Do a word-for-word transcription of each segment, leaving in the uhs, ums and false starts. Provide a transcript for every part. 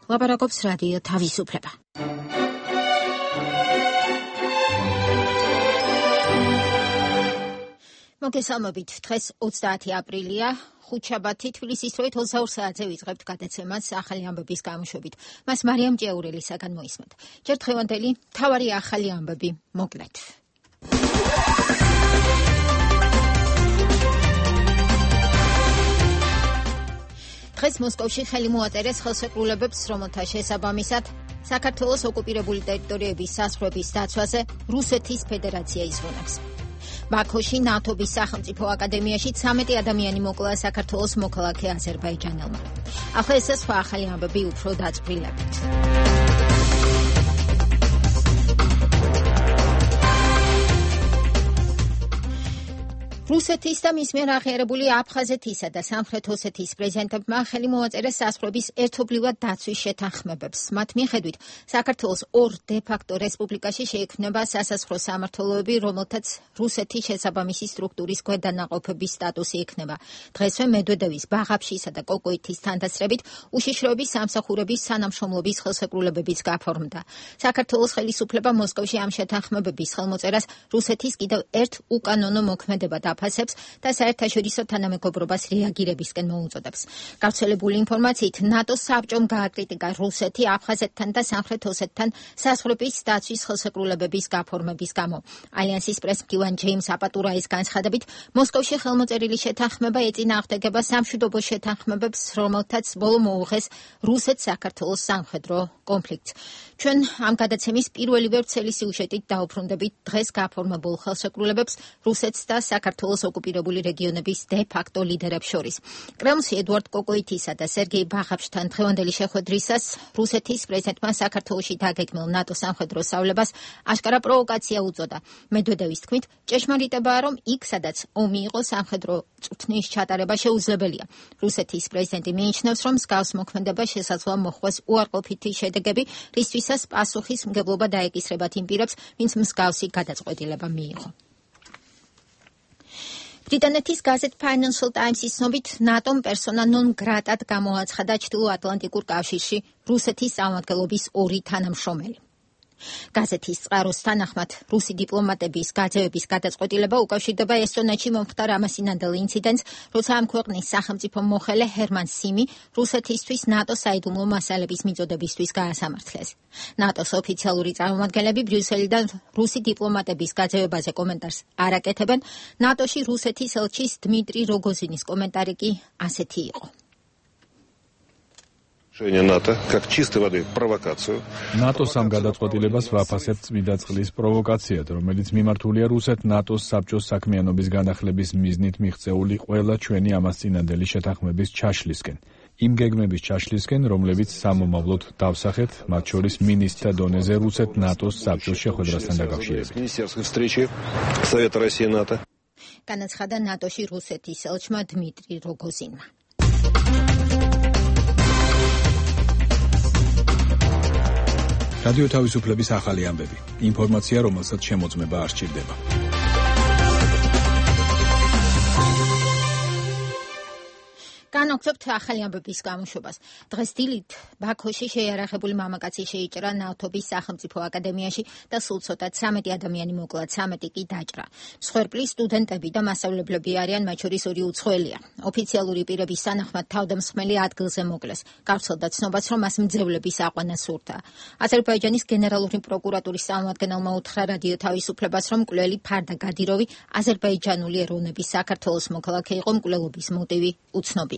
ლაპარაკობს რადიო თავისუფლება. მოგესალმებით, დღეს ოცდაათი აპრილია, ხუთშაბათი, თბილისის დროით ოცდაორ საათზე ვიწყებთ გადაცემას ახალი ამბების გამოშვებით. მას მარიამ ჭეურელისაგან მოისმენთ. ჯერ დღევანდელი მთავარი ახალი ამბები მოკლედ. დღეს მოსკოვში ხელი მოაწერეს ხელშეკრულებებს, რომელთა შესაბამისად საქართველოს ოკუპირებული ტერიტორიების საზღვრების დაცვაზე რუსეთის ფედერაცია იზღუნებს. ბაქოში ნატოს სახელმწიფო აკადემიაში ცამეტი ადამიანი მოკლა საქართველოს მოქალაქე აზერბაიჯანელმა. ახლა ეს სხვა ახალი ამბები უფრო დაწვრილებით. რუსეთის და მის მიერ აღიარებული აფხაზეთისა და სამხრეთ ოსეთის პრეზიდენტებმა ხელი მოაწერეს საზღვრების ერთობლივად დაცვის შეთანხმებებს. მათ მიხედვით, საქართველოს ორ დე-ფაქტო რესპუბლიკაში შეიქმნება სასაზღვრო სამმართველოები, რომელთაც რუსეთის შესაბამისი სტრუქტურის ქვედანაყოფების სტატუსი ექნება. დღესვე მედვედევის, ბაღაფშისა და კოკოითის თანდასწრებით უშიშროების სამსახურების თანამშრომლობის ხელშეკრულებებიც გაფორმდა. საქართველოს ხელისუფლება მოსკოვში ამ შეთანხმებების ხელმოწერას რუსეთის კიდევ ერთ უკანონო მოქმედებად აფასებს და საერთაშორისო თანამეგობრობას რეაგირებისკენ მოუწოდებს. გავრცელებული ინფორმაციით, ნატოს საბჭომ გააკრიტიკა რუსეთი აფხაზეთთან და სამხრეთ ოსეთთან საზღვრების დაცვის ხელშეკრულებების გაფორმების გამო. ალიანსის პრესმდივან ჯეიმს აპატურაის განცხადებით, მოსკოვში ხელმოწერილი შეთანხმება ეწინააღმდეგება სამშვიდობო შეთანხმებებს, რომელთაც ბოლო მოუღეს რუსეთ-საქართველოს სამხედრო კონფლიქტს. ჩვენ ამ გადაცემის პირველივე ვრცელი სიუჟეტით დაუბრუნდებით დღეს გაფორმებულ ხელშეკრულებებს რუსეთს და საქართველოს ოკუპირებული რეგიონების დე-ფაქტო ლიდერებს შორის. კრემლში ედუარდ კოკოითისა და სერგეი ბაღაფშთან დღევანდელი შეხვედრისას რუსეთის პრეზიდენტმა საქართველოში დაგეგმილ ნატოს სამხედრო სწავლებას აშკარა პროვოკაცია უწოდა. მედვედევის თქმით, ჭეშმარიტებაა, რომ იქ, სადაც ომი იყო, სამხედრო წვრთნის ჩატარება შეუძლებელია. რუსეთის პრეზიდენტი მიიჩნევს, რომ მსგავს მოქმედება შესაძლოა მოხვდეს უარყოფითი შედეგები, რისთვისაც პასუხისმგებლობა დაეკისრებათ იმ პირებს, ვინც მსგავსი გადაწყვეტილება მიიღო. ბრიტანეთის გაზეთ Financial Times-ის ცნობით, ნატომ პერსონა ნონ გრატად გამოაცხადა ჩრდილოატლანტიკურ კავშირში რუსეთის წარმომადგენლობის ორი თანამშრომელი. გაზეთის წყაროს თანახმად, რუსი დიპლომატების გაძევების გადაწყვეტილება უკავშირდება ესტონეთში მომხდარ ამასინანდელ ინციდენტს, როცა ამ ქვეყნის სახელმწიფო მოხელე ჰერმან სიმი რუსეთისთვის ნატოს საიდუმლო მასალების მიწოდებისთვის გაასამართლეს. ნატოს ოფიციალური წარმომადგენლები ბრიუსელიდან რუსი დიპლომატების გაძევებაზე კომენტარს არ აკეთებენ. ნატოში რუსეთის ელჩის დმიტრი როგოზინის კომენტარი კი ასეთი იყო. НАТО как чистой воды провокацию. ნატოს ამ გადაწყვეტილებას ვაფასებთ წმიდა წყლის პროვოკაციად, რომელიც მიმართულია რუსეთ ნატოს საბჭოს საქმიანობის განახლების მიზნით მიღწეული ყველა ჩვენი ამასწინანდელი შეთანხმების ჩაშლისკენ. იმ გეგმების ჩაშლისკენ, რომლებიც სამომავლოდ დავსახეთ, მათ შორის მინისტრთა დონეზე რუსეთ ნატოს საბჭოს შეხვედრასთან დაკავშირებით. განაცხადა ნატოში რუსეთის ელჩმა დმიტრი როგოზინმა. რადიო თავისუფლების ახალი ამბები. ინფორმაცია, რომელსაც შემოწმება არ სჭირდება. განაგრძობთ ახალი ამბების გამოშვებას. დღეს დილით ბაქოში შეიარაღებული მამაკაცი შეიჭრა ნავთობის სახელმწიფო აკადემიაში და სულ ცოტა ცამეტი ადამიანი მოკლა, ცამეტი კი დაჭრა. მსხვერპლი სტუდენტები და მასწავლებლები არიან, მათ შორის ორი უცხოელია. ოფიციალური პირების თანახმად თავდამსხმელი ადგილზე მოკლეს. გავრცელდა ცნობას, რომ მას მძევლების აყვანა სურდა. აზერბაიჯანის გენერალური პროკურატურის წარმომადგენელმა უთხრა რადიო თავისუფლებას, რომ მკვლელი ფარდა გადიროვი აზერბაიჯანული ეროვნების საქართველოს მოქალაქე იყო, მკვლელობის მოტივი უცნობია.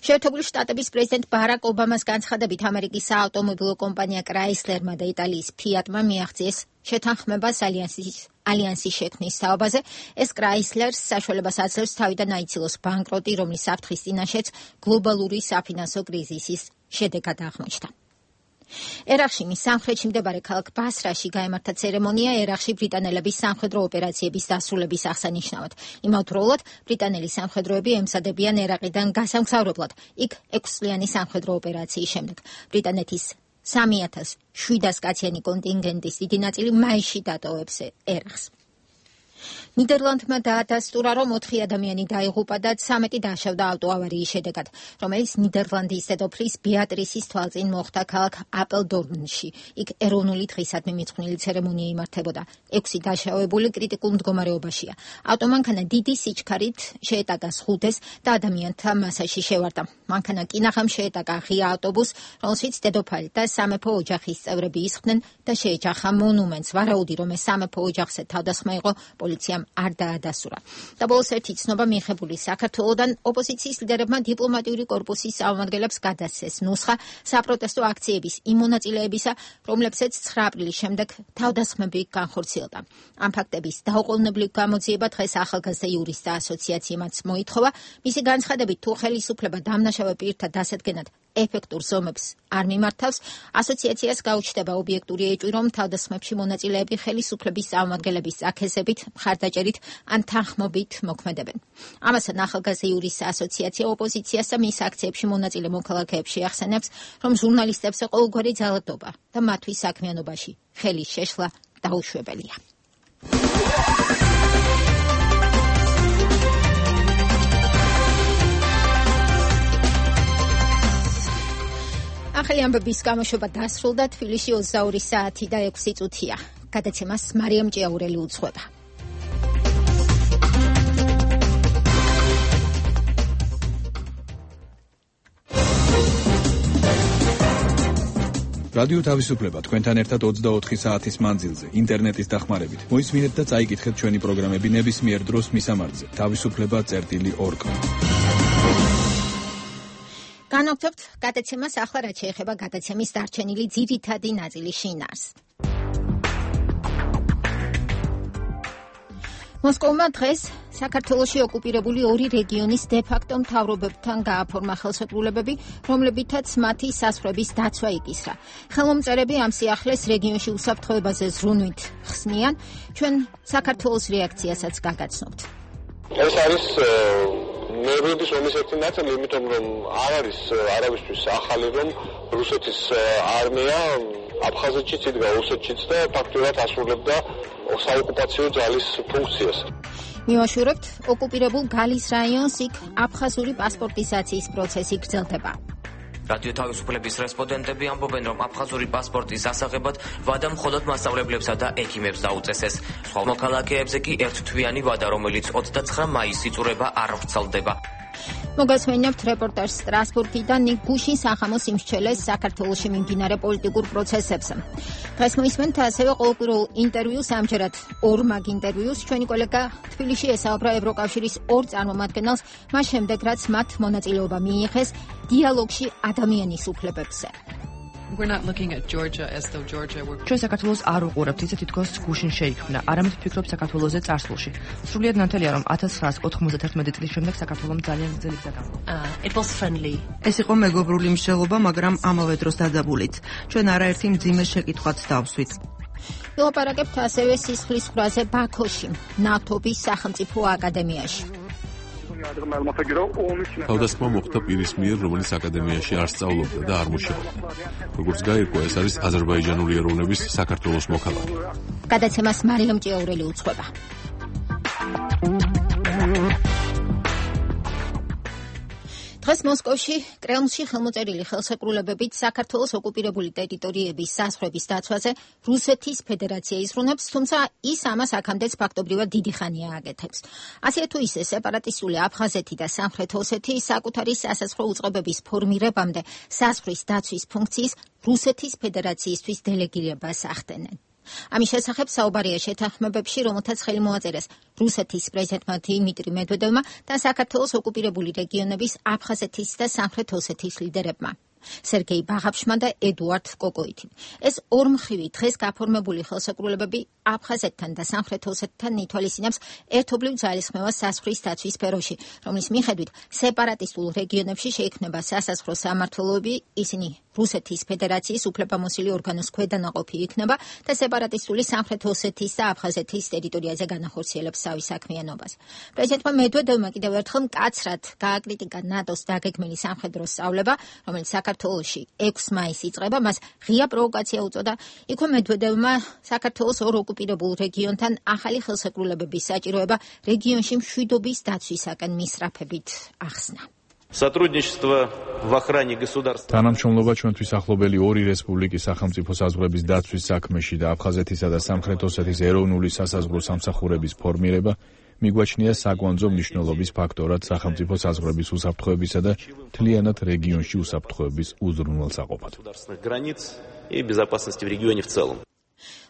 შეერთებული შტატების პრეზიდენტ ბარაკ ობამას განცხადებით, ამერიკის საავტომობილო კომპანია კრაისლერმა და იტალიის ფიატმა მიაღწიეს შეთანხმებას ალიანსის ალიანსის შექმნის თაობაზე. ეს კრაისლერს საშუალებას აძლევს თავიდან აიცილოს ბანკროტი, რომლის საფრთხის წინაშეც გლობალური საფინანსო კრიზისის შედეგად აღმოჩნდა. ერაყში სამხრეთში მდებარე ქალაქ ბასრაში გაემართა ცერემონია ერაყში ბრიტანელების სამხედრო ოპერაციების დასრულების აღსანიშნავად. იმავდროულად ბრიტანელი სამხედროები ემსადებიან ერაყიდან გასამგზავრებლად იქ ექვსწლიანი სამხედრო ოპერაციის შემდეგ. ბრიტანეთის სამი ათას შვიდას კაციანი კონტინგენტის დიდი ნაწილი მაისში დატოვებს ერაყს. ნიდერლანდმა დაადასტურა, რომ ოთხი ადამიანი დაიღუპა და ცამეტი დაშავდა ავტოავარიის შედეგად, რომელიც ნიდერლანდის დედოფლის ბეატრისის თვალწინ მოხდა ქალაქ აპელდორნში. იქ ეროვნული დღისადმი მიძღვნილი ცერემონია იმართებოდა. ექვსი დაშავებული კრიტიკულ მდგომარეობაშია. ავტომანქანა დიდი სიჩქარით შეეტაკა სხულდეს და ადამიანთა მასაში შევარდა. მანქანა კინაღამ შეეტაკა ღია ავტობუსს, რომელშიც დედოფალი და სამეფო ოჯახის წევრები ისხდნენ და შეეჯახა მონუმენტს. ვარაუდი, რომ ეს სამეფო ოჯახზე თავდასხმა იყო, პოლიციამ არ დაადასტურა. და ბოლოს ერთი ცნობა მიღებული საქართველოდან ოპოზიციის ლიდერებმა დიპლომატიური კორპუსის წარმომადგენლებს გადასცეს ნუსხა საპროტესტო აქციების იმ მონაწილეებისა, რომლებსაც ცხრა აპრილის შემდეგ თავდასხმები განხორციელდა. ამ ფაქტების დაუყოვნებლივ გამოძიება დღეს ახალგაზრდა იურისტთა ასოციაციამაც მოითხოვა. მისი განცხადებით, თუ ხელისუფლება დამნაშავე პირთა დასადგენად ეფექტურ ზომებს არ მიმართავს, ასოციაციას გაუჩნდება ობიექტური ეჭვი, რომ თავდასხმებში მონაწილეები ხელისუფლების წარმომადგენლების აქეზებით, მხარდაჭერით ან თანხმობით მოქმედებენ. ამასთან ახალგაზრდა იურისტთა ასოციაცია ოპოზიციას და მის აქციებში მონაწილე მოქალაქეებს შეახსენებს, რომ ჟურნალისტებს ყოველგვარი ძალადობა და მათთვის საქმიანობაში ხელის შეშლა დაუშვებელია. ახალი ამბების გამოშვება დასრულდა. თბილისში ოცდაორი საათი და ექვსი წუთია. გადაცემას მარიამ ჭიაურელი უძღვება. რადიო თავისუფლება თქვენთან ერთად ოცდაოთხი საათის მანძილზე ინტერნეტის დახმარებით. მოისმინეთ და წაიკითხეთ ჩვენი პროგრამები ნებისმიერ დროს მისამართზე თავისუფლება წერტილი ორ კომ. განვაგრძობთ გადაცემას ახლა, რაც შეეხება გადაცემის დარჩენილი ძირითადი ნაწილის შინაარს. მოსკოვმა დღეს საქართველოში ოკუპირებული ორი რეგიონის დე-ფაქტო მთავრობებთან გააფორმა ხელშეკრულებები, რომლებითაც მათი საზღვრების დაცვა იკისრა. ხელმომწერები ამ სიახლეს რეგიონში უსაფრთხოებაზე ზრუნვით ხსნიან. ჩვენ საქართველოს რეაქციასაც გაგაცნობთ. ეს არის ნერვების ომის ერთი ნაწილი, იმიტომ რომ არ არის არავისთვის ახალი, რომ რუსეთის არმია აფხაზეთშიც იდგა, ოსეთშიც და ფაქტურად ასრულებდა საოკუპაციო ძალის ფუნქციას. მივაშურებთ, ოკუპირებულ გალის რაიონს იქ აფხაზური პასპორტიზაციის პროცესი გრძელდება. რადიო თავისუფლების რესპონდენტები ამბობენ, რომ აფხაზური პასპორტის ასაღებად ვადა მხოლოდ მასწავლებლებსა და ექიმებს დაუწესეს. სხვა მოქალაქეებზე კი ერთთვიანი ვადა, რომელიც ოცდაცხრა მაისს იწურება, არ ვრცელდება. მოგესმენებთ რეპორტაჟს სტრასბურგიდან ნიკ გუშინ სახამოს იმსჩელეს საქართველოში მიმდინარე პოლიტიკურ პროცესებს. დღეს მოისმენთ ასევე ყოველკვირეულ ინტერვიუს, ამჯერად ორ მაგ ინტერვიუს. ჩვენი კოლეგა თბილისში ესაუბრა ევროკავშირის ორ წარმომადგენელს, მას შემდეგ რაც მათ მონაწილეობა მიიღეს დიალოგში ადამიანის უფლებებზე. We're not looking at Georgia as though Georgia were ჩვენ საქართველოს არ უყურებთ, ისე თითქოს გუშინ შეიქმნა. არამედ ვფიქრობ საქართველოზე წარსულში. სრულიად ნათელია, რომ ათას ცხრაას ოთხმოცდათერთმეტი წლის შემდეგ საქართველომ ძალიან გრძელი გზა გამოვიდა. It was friendly. ეს იყო მეგობრული მსჯელობა, მაგრამ ამავე დროს დადაბულით. ჩვენ არაერთი მძიმე შეკითხვაც დავსვით. ვილაპარაკებთ ასევე სისხლის ხრაზე ბაქოში, ნავთობის სახელმწიფო აკადემიაში. თავდასხმა მოხდა პირის მიერ, რომელიც აკადემიაში არ სწავლობდა და არ მუშაობდა. როგორც გაირკვა, ეს არის აზერბაიჯანული ეროვნების საქართველოს მოქალაქე. გადაცემას მარიამ ჭიაურელი უძღვება. დღეს მოსკოვში კრემლში ხელმოწერილი ხელშეკრულებებით საქართველოს ოკუპირებული ტერიტორიების საზღვრების დაცვაზე რუსეთის ფედერაცია იზრუნებს, თუმცა ის ამას აქამდეც ფაქტობრივად დიდი ხანია აკეთებს. ასე თუ ისე სეპარატისტული აფხაზეთი და სამხრეთ ოსეთი საკუთარი სასაზღვრო უწყებების ფორმირებამდე საზღვრის დაცვის ფუნქციის რუსეთის ფედერაციისთვის დელეგირებას ახდენენ. ამის შესახებ საუბარია შეთანხმებებში, რომელთაც ხელი მოაწერეს რუსეთის პრეზიდენტმა დიმიტრი მედვედევმა და საქართველოს ოკუპირებული რეგიონების აფხაზეთის და სამხრეთ ოსეთის ლიდერებმა. სერგეი ბაღაფშმა და ედუარდ კოკოითი. ეს ორმხრივი დღეს გაფორმებული ხელშეკრულებები აფხაზეთთან და სამხრეთ ოსეთთან ითვალისწინებს ერთობლივ ძალისხმევას საზღვრის დაცვის სფეროში, რომლის მიხედვით სეპარატისტულ რეგიონებში შეიქმნება სასაზღვრო სამმართველოები, ისინი რუსეთის ფედერაციის უფლებამოსილი ორგანოს ქვედანაყოფი იქნება და სეპარატისტული სამხრეთ ოსეთის და აფხაზეთის ტერიტორიაზე განახორციელებს თავის საქმიანობას. პრეზიდენტმა მედვედევმა კიდევ ერთხელ მკაცრად გააკრიტიკა ნატოს დაგეგმილი სამხედრო სწავლება, რომელიც საქართველოში ექვსი მაისს იწყება, მას ღია პროვოკაცია უწოდა. იქვე მედვედევმა საქართველოს ორ ოკუპირებულ რეგიონთან ახალი ხელშეკრულებების საჭიროება რეგიონში მშვიდობის დაცვისაკენ მისწრაფებით ახსნა. Сотрудничество в охране государства. თანამშრომლობა ჩვენთვის ახლობელი ორი რესპუბლიკის სახელმწიფო საზღვრების დაცვის საქმეში და აფხაზეთისა და სამხრეთ ოსეთის ეროვნული სასაზღვრო სამსახურების ფორმირება მიგვაჩნია საკვანძო მნიშვნელობის ფაქტორად სახელმწიფო საზღვრების უსაფრთხოებისა და მთლიანად რეგიონში უსაფრთხოების უზრუნველსაყოფად. И безопасности в регионе в целом.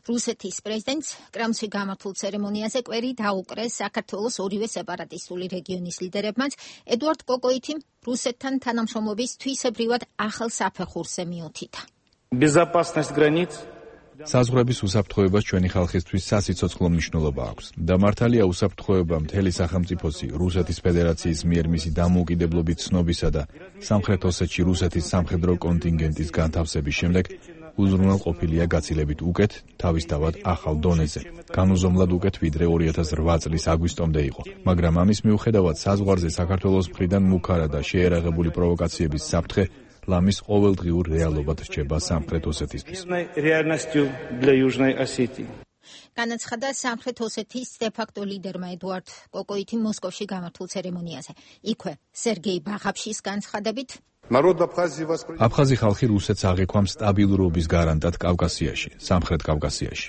რუსეთის პრეზიდენტს კრემლში გამართულ ცერემონიაზე კვერი დაუკრეს საქართველოს ორივე სეპარატისტული რეგიონის ლიდერებმაც. ედუარდ კოკოითი რუსეთთან თანამშრომლობის თვისებრივად ახალ საფეხურზე მიუთითა. Безопасность границ საზღვრების უსაფრთხოებას ჩვენი ხალხისთვის სასიცოცხლო მნიშვნელობა აქვს. და მართალია უსაფრთხოება მთელი სახელმწიფოსი რუსეთის ფედერაციის მიერ მისი დამოუკიდებლობით ცნობისა და სამხრეთ ოსეთში რუსეთის სამხედრო კონტინგენტის განთავსების შემდეგ უზრუნველყოფილია გაცილებით უკეთ, თავისთავად ახალ დონეზე. განუზომლად უკეთ ვიდრე ორი ათას რვა წლის აგვისტომდე იყო. მაგრამ ამის მიუხედავად საზღვარზე საქართველოს მხრიდან მუქარა და შეერაღებული პროვოკაციების საფრთხე ლამის ყოველდღიურ რეალობად რჩება სამხრეთ ოსეთისთვის. განაცხადა სამხრეთ ოსეთის დე-ფაქტო ლიდერმა ედუარდ კოკოითი მოსკოვში გამართულ ცერემონიაზე. იქვე სერგეი ბაღაფშის განცხადებით აფხაზი ხალხი რუსეთს აღიქვამს სტაბილურობის გარანტად კავკასიაში, სამხრეთ კავკასიაში.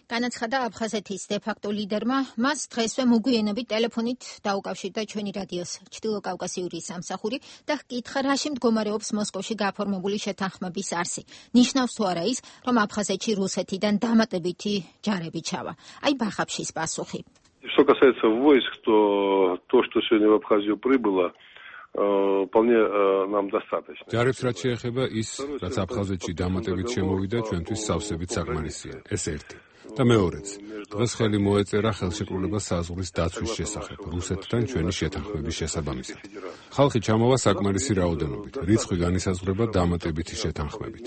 განაცხადა აფხაზეთის დე-ფაქტო ლიდერმა, მას დღესვე მოგვიანებით ტელეფონით დაუკავშირდა ჩვენი რადიოს ჩრდილო კავკასიური სამსახური და ჰკითხა, რაში მდგომარეობს მოსკოვში გაფორმებული შეთანხმების არსი. ნიშნავს თუ არა ის, რომ აფხაზეთში русეთიდან დამატებითი ჯარები ჩავა. აი ბახაფშის პასუხი. Что касается войск, то то, что сегодня в Абхазию прибыло, вполне нам достаточно. ჯარებს რაც შეეხება ის, რაც აფხაზეთში დამატებით შემოვიდა, ჩვენთვის სავსებით საკმარისია. ეს ერთი. და მეორეც, დღეს ხელი მოეწერა ხელშეკრულება საზღვრის დაცვის შესახებ რუსეთთან ჩვენი შეთანხმების შესაბამისად. ხალხი ჩამოვა საკმარისი რაოდენობით, რიცხვი განისაზღვრება დამატებითი შეთანხმებით.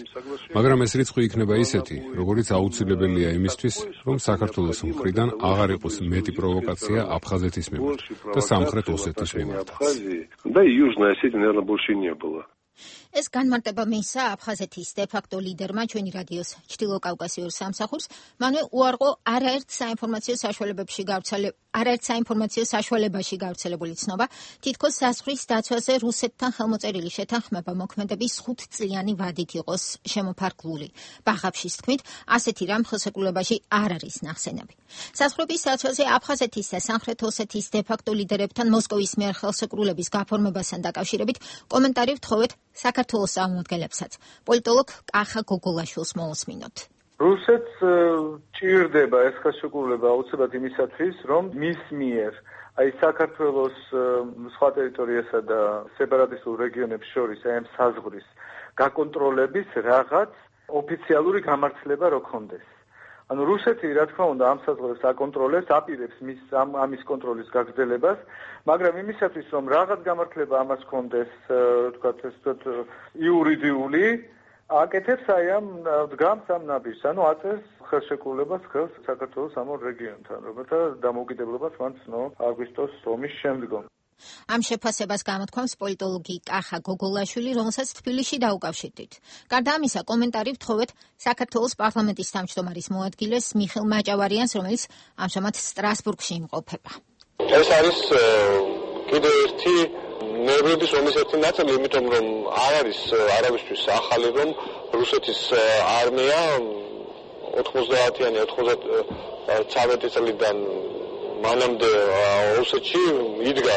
მაგრამ ეს რიცხვი იქნება ისეთი, როგორიც აუცილებელია იმისთვის, რომ საქართველოს მხრიდან აღარ იყოს მეტი პროვოკაცია აფხაზეთის მიმართ და სამხრეთ ოსეთის მიმართაც. Да и Южной Осетии, наверное, больше не было. ეს განმარტება მისცა აფხაზეთის დე-ფაქტო ლიდერმა ჩვენი რადიოს ჩრდილო კავკასიურ სამსახურს. მანვე უარყო არაერთ საინფორმაციო საშუალებებში გავრცელებული არაერთ საინფორმაციო საშუალებაში გავრცელებული ცნობა, თითქოს საზღვრის დაცვაზე რუსეთთან ხელმოწერილი შეთანხმება მოქმედების ხუთწლიანი ვადით იყოს შემოფარგლული. ბაღაფშის თქმით, ასეთი რამ ხელშეკრულებაში არ არის ნახსენები. საზღვრების დაცვაზე აფხაზეთის და სამხრეთ ოსეთის დე-ფაქტო ლიდერებთან მოსკოვის მიერ ხელშეკრულების გაფორმებასთან დაკავშირებით კომენტარი ვთხოვეთ საქართველოს წარმომადგენლებსაც. პოლიტოლოგ კახა გოგოლაშვილს მოусმინოთ. რუსეთს ჭირდება ეს ხელშეკრულება აუცილებლად იმისათვის, რომ მის მიერ აი საქართველოს სხვა ტერიტორიასა და სეპარატისტულ რეგიონებს შორის აი ამ საზღვრის გაკონტროლების რაღაც ოფიციალური გამართლება რო ქონდეს. ანუ რუსეთი რა თქმა უნდა ამ საზღვრებს აკონტროლებს, აპირებს მის ამის კონტროლის გაგრძელებას, მაგრამ იმისათვის რომ რაღაც გამართლება ამას ქონდეს, თქვათ ეს თქო იურიდიული აკეთებს აი ამ დგამს ამ ნაბიჯს, ანუ აწევს ხელშეკრულებას ხელს საქართველოს ამ ორ რეგიონთან, რომელთა დამოუკიდებლობას მან ცნო აგვისტოს ომის შემდგომ. ამ შეფასებას გამოთქვამს პოლიტოლოგი კახა გოგოლაშვილი, რომელსაც თბილისში დაუკავშირდით. გარდა ამისა, კომენტარი ვთხოვეთ საქართველოს პარლამენტის თავმჯდომარის მოადგილეს მიხეილ მაჭავარიანს, რომელიც ამჟამად სტრასბურგში იმყოფება. ეს არის კიდევ ერთი ნერვების ომის ერთი ნაწილი, იმიტომ რომ არ არის არავისთვის ახალი, რომ რუსეთის არმია ოთხმოცდაათიანი ოცდაათი წლიდან მანამდე ოსეთში იდგა,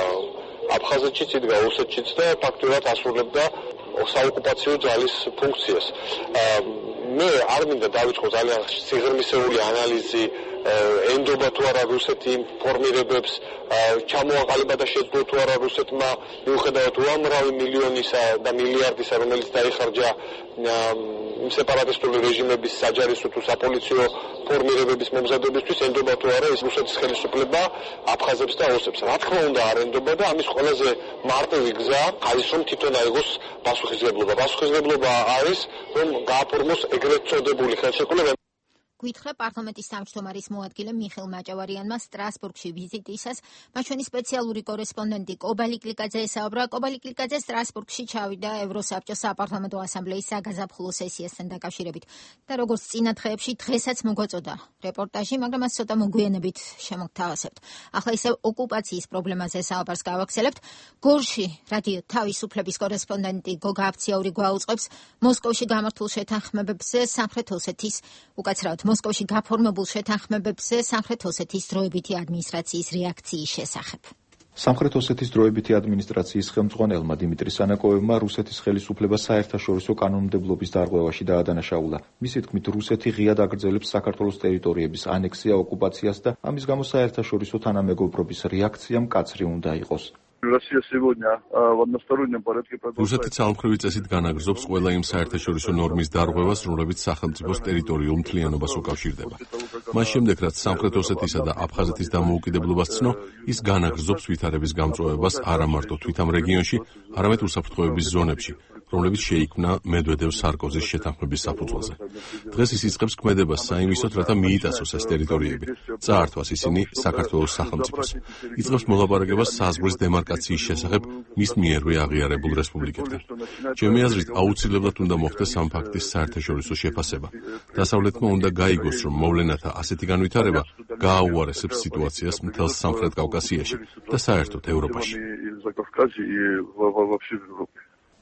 აფხაზეთშიც იდგა, ოსეთშიც და ფაქტურად ასრულებდა საოკუპაციო ძალის ფუნქციას. მე არ მინდა დავიწყო ძალიან სიღრმისეული ანალიზი ენდობა თუ არა რუსეთი იმ ფორმირებებს, ჩამოაყალიბა და შეძლო თუ არა რუსეთმა მიუხედავად უამრავი მილიონისა და მილიარდისა, რომელიც დაიხარჯა იმ სეპარატისტული რეჟიმების საჯარისო თუ საპოლიციო ფორმირებების მომზადებისთვის, ენდობა თუ არა ის რუსეთის ხელისუფლება აფხაზებს და ოსებს. რა თქმა უნდა არ ენდობა და ამის ყველაზე მარტივი გზა არის რომ თვითონ აიღოს პასუხისმგებლობა. პასუხისმგებლობა არის რომ გააფორმოს ეგრეთ წოდებული ხელშეკრულება. გითხრა პარლამენტის თავმჯდომარის მოადგილე მიხეილ მაჭავარიანმა სტრასბურგში ვიზიტისას მაჩვენი სპეციალური კორესპონდენტი კობალი კლიკაძე ესაუბრა. კობალი კლიკაძე სტრასბურგში ჩავიდა ევროსაბჭოს საპარლამენტო ასამბლეის საგაზაფხულო სესიასთან დაკავშირებით და როგორც წინა დღეებში დღესაც მოგვაწოდა რეპორტაჟი, მაგრამ მას ცოტა მოგვიანებით შემოგთავაზებთ. ახლა ისევ ოკუპაციის პრობლემაზე საუბარს გავაგრძელებთ. გორში რადიო თავისუფლების კორესპონდენტი გოგა აფციაური გვაუწყებს მოსკოვში გამართულ შეთანხმებებზე სამხრეთ ოსეთის უკაცრავად მოსკოვში გაფორმებულ შეთანხმებებზე სამხრეთ ოსეთის დროებითი ადმინისტრაციის რეაქციის შესახებ. სამხრეთ ოსეთის დროებითი ადმინისტრაციის ხელმძღვანელმა დიმიტრი სანაკოევმა რუსეთის ხელისუფლებას საერთაშორისო კანონმდებლობის დარღვევაში დაადანაშაულა. მისი თქმით, რუსეთი ღიად აგრძელებს საქართველოს ტერიტორიების ანექსია, ოკუპაციას და ამის გამო საერთაშორისო თანამეგობრობის რეაქცია მკაცრი უნდა იყოს. რუსეთი ძალმხრივი წესით განაგრძობს ყველა იმ საერთაშორისო ნორმის დარღვევას, რომლებიც სახელმწიფოს ტერიტორიულ მთლიანობას უკავშირდება. მას შემდეგ, რაც სამხრეთ ოსეთისა და აფხაზეთის დამოუკიდებლობას ცნო, ის განაგრძობს ვითარების გამწვავებას არა მარტო თვით ამ რეგიონში, არამედ უსაფრთხოების ზონებში, რომლებიც შეიქმნა მედვედევ სარკოზის შეთანხმების საფუძველზე. დღეს ის იწყებს ქმედებას საიმისოდ, რათა მიიტაცოს ეს ტერიტორიები, წაართვას ისინი საქართველოს სახელმწიფოს. იწყებს მოლაპარაკებას საზღვრის დემარკაციის შესახებ მის მიერვე აღიარებულ რესპუბლიკებთან. ჩემი აზრით, აუცილებლად უნდა მოხდეს ამ ფაქტის საერთაშორისო შეფასება. დასავლეთმა უნდა გაიგოს, რომ მოვლენათა ასეთი განვითარება გააუარესებს სიტუაციას მთელს სამხრეთ კავკასიაში და საერთოდ ევროპაში.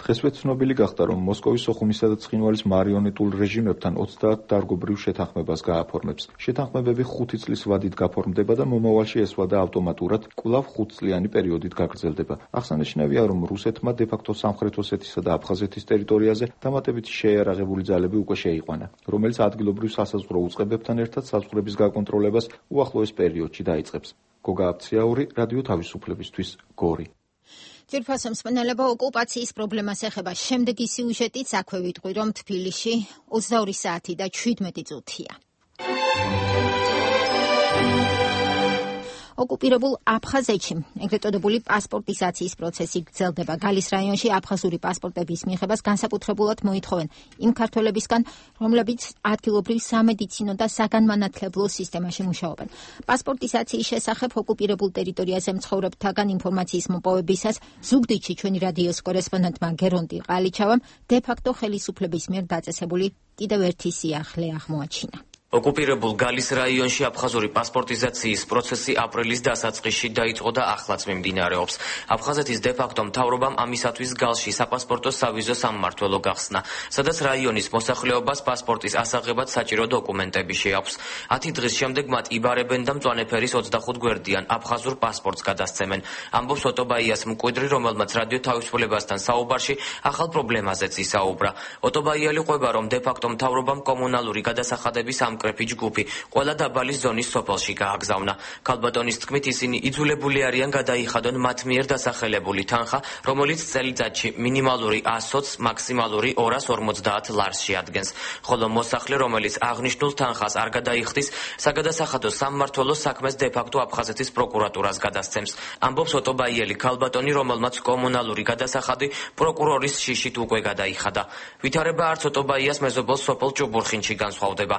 დღესვე ცნობილი გახდა, რომ მოსკოვის სოხუმისა და ცხინვალის მარიონეტულ რეჟიმებთან ოცდაათ დარგობრივ შეთანხმებას გააფორმებს. შეთანხმებები ხუთი წლის ვადით გაფორმდება და მომავალში ეს ვადა ავტომატურად კვლავ ხუთწლიანი პერიოდით გაგრძელდება. აღსანიშნავია, რომ რუსეთმა დე-ფაქტო სამხრეთ ოსეთისა და აფხაზეთის ტერიტორიაზე დამატებითი შეიარაღებული ძალები უკვე შეიყვანა, რომელიც ადგილობრივ სასაზღვრო უწყებებთან ერთად საზღვრების გაკონტროლებას უახლოეს პერიოდში დაიწყებს. გოგა აფციაური, რადიო თავისუფლებისთვის, გორი. ძირფასო მსმენელებო, ოკუპაციის პრობლემას ეხება შემდეგი სიუჟეტიც აქვე ვიტყვი, რომ თბილისში ოცდაორი საათი და ჩვიდმეტი წუთია. ოკუპირებულ აფხაზეთში ეგრეთ წოდებული პასპორტიზაციის პროცესი გრძელდება. გალის რაიონში აფხაზური პასპორტების მიღებას განსაკუთრებულად მოითხოვენ იმ ქართველებისგან, რომლებიც ადგილობრივ სამედიცინო და საგანმანათლებლო სისტემაში მუშაობენ. პასპორტიზაციის შესახებ ოკუპირებულ ტერიტორიაზე მცხოვრებთაგან ინფორმაციის მოპოვებისას ზუგდიდში ჩვენი რადიოს კორესპონდენტმა გერონტი ყალიჩავამ დე-ფაქტო ხელისუფლების მიერ დაწესებული კიდევ ერთი სიახლე აღმოაჩინა. ოკუპირებულ გალის რაიონში აფხაზური პასპორტიზაციის პროცესი აპრილის დასაწყისში დაიწყო და ახლაც მიმდინარეობს. აფხაზეთის დე-ფაქტო მთავრობამ ამისათვის გალში საპასპორტო სავიზო სამმართველო გახსნა, სადაც რაიონის მოსახლეობას პასპორტის ასაღებად საჭირო დოკუმენტები შეაქვს. ათი დღის შემდეგ მათ იბარებენ და მწვანე ფერის ოცდახუთ გვერდიან აფხაზურ პასპორტს გადასცემენ. ამბობს ოტობაიას მკვიდრი, რომელმაც რადიო თავისუფლებასთან საუბარში ახალ პრობლემაზეც ისაუბრა. ოტობაიალი ყვება, რომ დე-ფაქტო მთავრობამ კომუნალური გადასახადების ამ კრეფი ჯგუფი ყველა დაბალი ზონის სოფელში გააგზავნა. ქალბატონის თქმით, ისინი იძულებული არიან გადაიხადონ მათ მიერ დასახელებული თანხა, რომელიც წელიწადში მინიმალური ასოცს, მაქსიმალური ორას ორმოცდაათ ლარს შეადგენს. ხოლო მოსახლე, რომელიც აღნიშნულ თანხას არ გადაიხდის, საგადასახადო სამმართველო საქმეს დე-ფაქტო აფხაზეთის პროკურატურას გადასცემს. ამბობს ოტობაიელი ქალბატონი, რომელმაც კომუნალური გადასახადი პროკურორის შიშით უკვე გადაიხადა. ვითარება არც ოტობაიას მეზობელ სოფელ ჭუბურხინში განსხვავდება.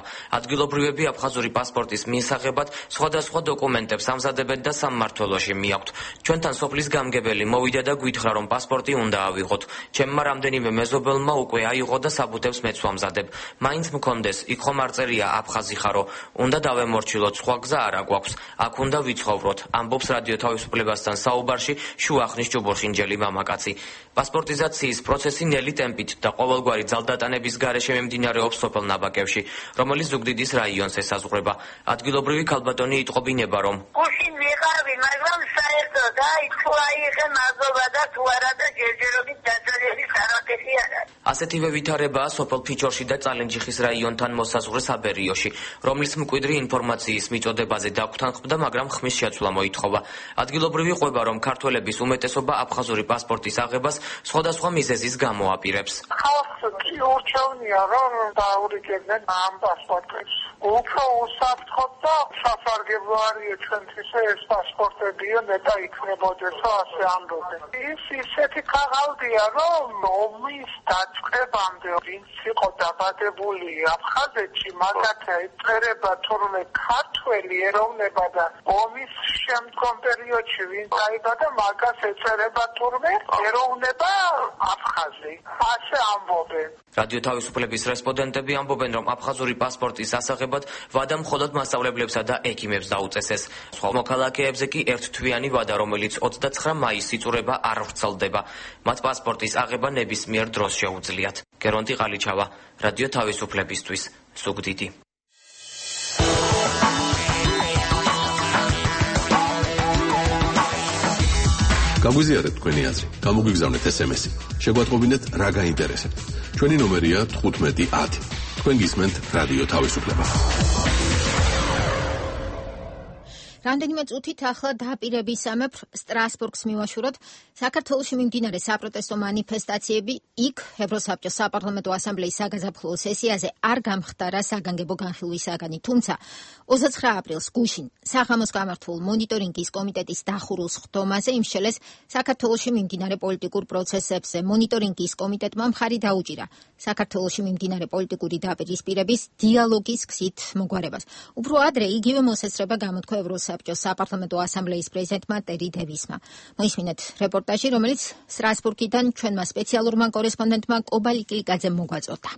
ადგილობრივები აფხაზური პასპორტის მისაღებად სხვადასხვა დოკუმენტებს ამზადებენ და სამმართველოში მიაქვთ. ჩვენთან სოფლის გამგებელი მოვიდა და გვითხრა, რომ პასპორტი უნდა ავიღოთ. ჩემმა რამდენიმე მეზობელმა უკვე აიღო და საბუთებს მეც ვამზადებ. მაინც მქონდეს, იქ ხომ არ წერია აფხაზი ხარო, უნდა დავემორჩილოთ, სხვა გზა არა გვაქვს. აქ უნდა ვიცხოვროთ, ამბობს რადიო თავისუფლებასთან საუბარში შუახნის ჭუბურხინჯელი მამაკაცი. პასპორტიზაციის პროცესი ნელი ტემპით და ყოველგვარი ძალდატანების გარეშე მიმდინარეობს სოფელ ნაბაკევში, რომელიც ზუგდიდის რაიონს ესაზღვრება. ადგილობრივი ქალბატონი იტყობინება, რომ გუშინვე ვიყავი, მაგრამ საერთოდ აი თუ აიღე მადლობა და თუ არა და ჯერჯერობით დაძალების არაფერი არ არის. ასეთივე ვითარებაა სოფელ ფიჩორში და წალენჯიხის რაიონთან მოსაზღვრე საბერიოში, რომლის მკვიდრი ინფორმაციის მიწოდებაზე დაგვრთანხმდა, მაგრამ ხმის შეცვლა მოითხოვა. ადგილობრივი ყვება, რომ ქართველების უმეტესობა აფხაზური პასპორტის აღებას სხვადასხვა მიზეზის გამო აპირებს. ხალხს კი ურჩევნია, რომ დაურიგებდნენ ამ პასპორტებს. უფრო უსაფრთხოდ და სასარგებლო არის ჩვენთვის ეს პასპორტებიო ნეტა იქნებოდეს, ასე ამბობენ. ის ისეთი ქაღალდია, რომ ომის დაწყებამდე ვინც იყო დაბადებული აფხაზეთში, მაგათი ეწერება თურმე ქართველი ეროვნება და ომის შემდგომ პერიოდში ვინც დაიბადა, მაგას ეწერება თურმე ეროვნება აფხაზი. ასე ამბობენ. რადიო თავისუფლების რესპონდენტები ამბობენ, რომ აფხაზური პასპორტის ასაღებად ვადა მხოლოდ მასწავლებლებსა და ექიმებს დაუწესეს. სხვა მოქალაქეებზე კი ერთთვიანი ვადა, რომელიც ოცდაცხრა მაისს იწურება, არ ვრცელდება. მათ პასპორტის აღება ნებისმიერ დროს შეუძლიათ. გერონტი ყალიჩავა, რადიო თავისუფლებისთვის, ზუგდიდი. გაგვიზიარეთ თქვენი აზრი, გამოგვიგზავნეთ ეს ემესი. შეგვატყობინეთ რა გაინტერესებთ. ჩვენი ნომერია თხუთმეტი ათი. თქვენ გისმენთ რადიო თავისუფლება. რამდენიმე წუთით ახლა დააპირებისამებრ სტრასბურგს მივაშუროთ. საქართველოში მიმდინარე საპროტესტო მანიფესტაციები იქ ევროსაბჭოს საპარლამენტო ასამბლეის საგაზაფხულო სესიაზე არ გამხდარა საგანგებო განხილვისაგანი, თუმცა ოცდაცხრა აპრილს გუშინ საღამოს გამართულ მონიტორინგის კომიტეტის დახურულ სხდომაზე იმშელეს საქართველოში მიმდინარე პოლიტიკურ პროცესებზე. მონიტორინგის კომიტეტმა მხარი დაუჭირა საქართველოში მიმდინარე პოლიტიკური დაპირისპირების დიალოგის გზით მოგვარებას. უფრო ადრე იგივე მოსესწრება გამოთქვა ევროსაბჭოს საპარლამენტო ასამბლეის პრეზიდენტმა ტერი დევისმა. მოისმინეთ რეპორტაჟი, რომელიც სტრასბურგიდან ჩვენმა სპეციალურმა კორესპონდენტმა კობალი კილიკაძემ მოგვაწოდა.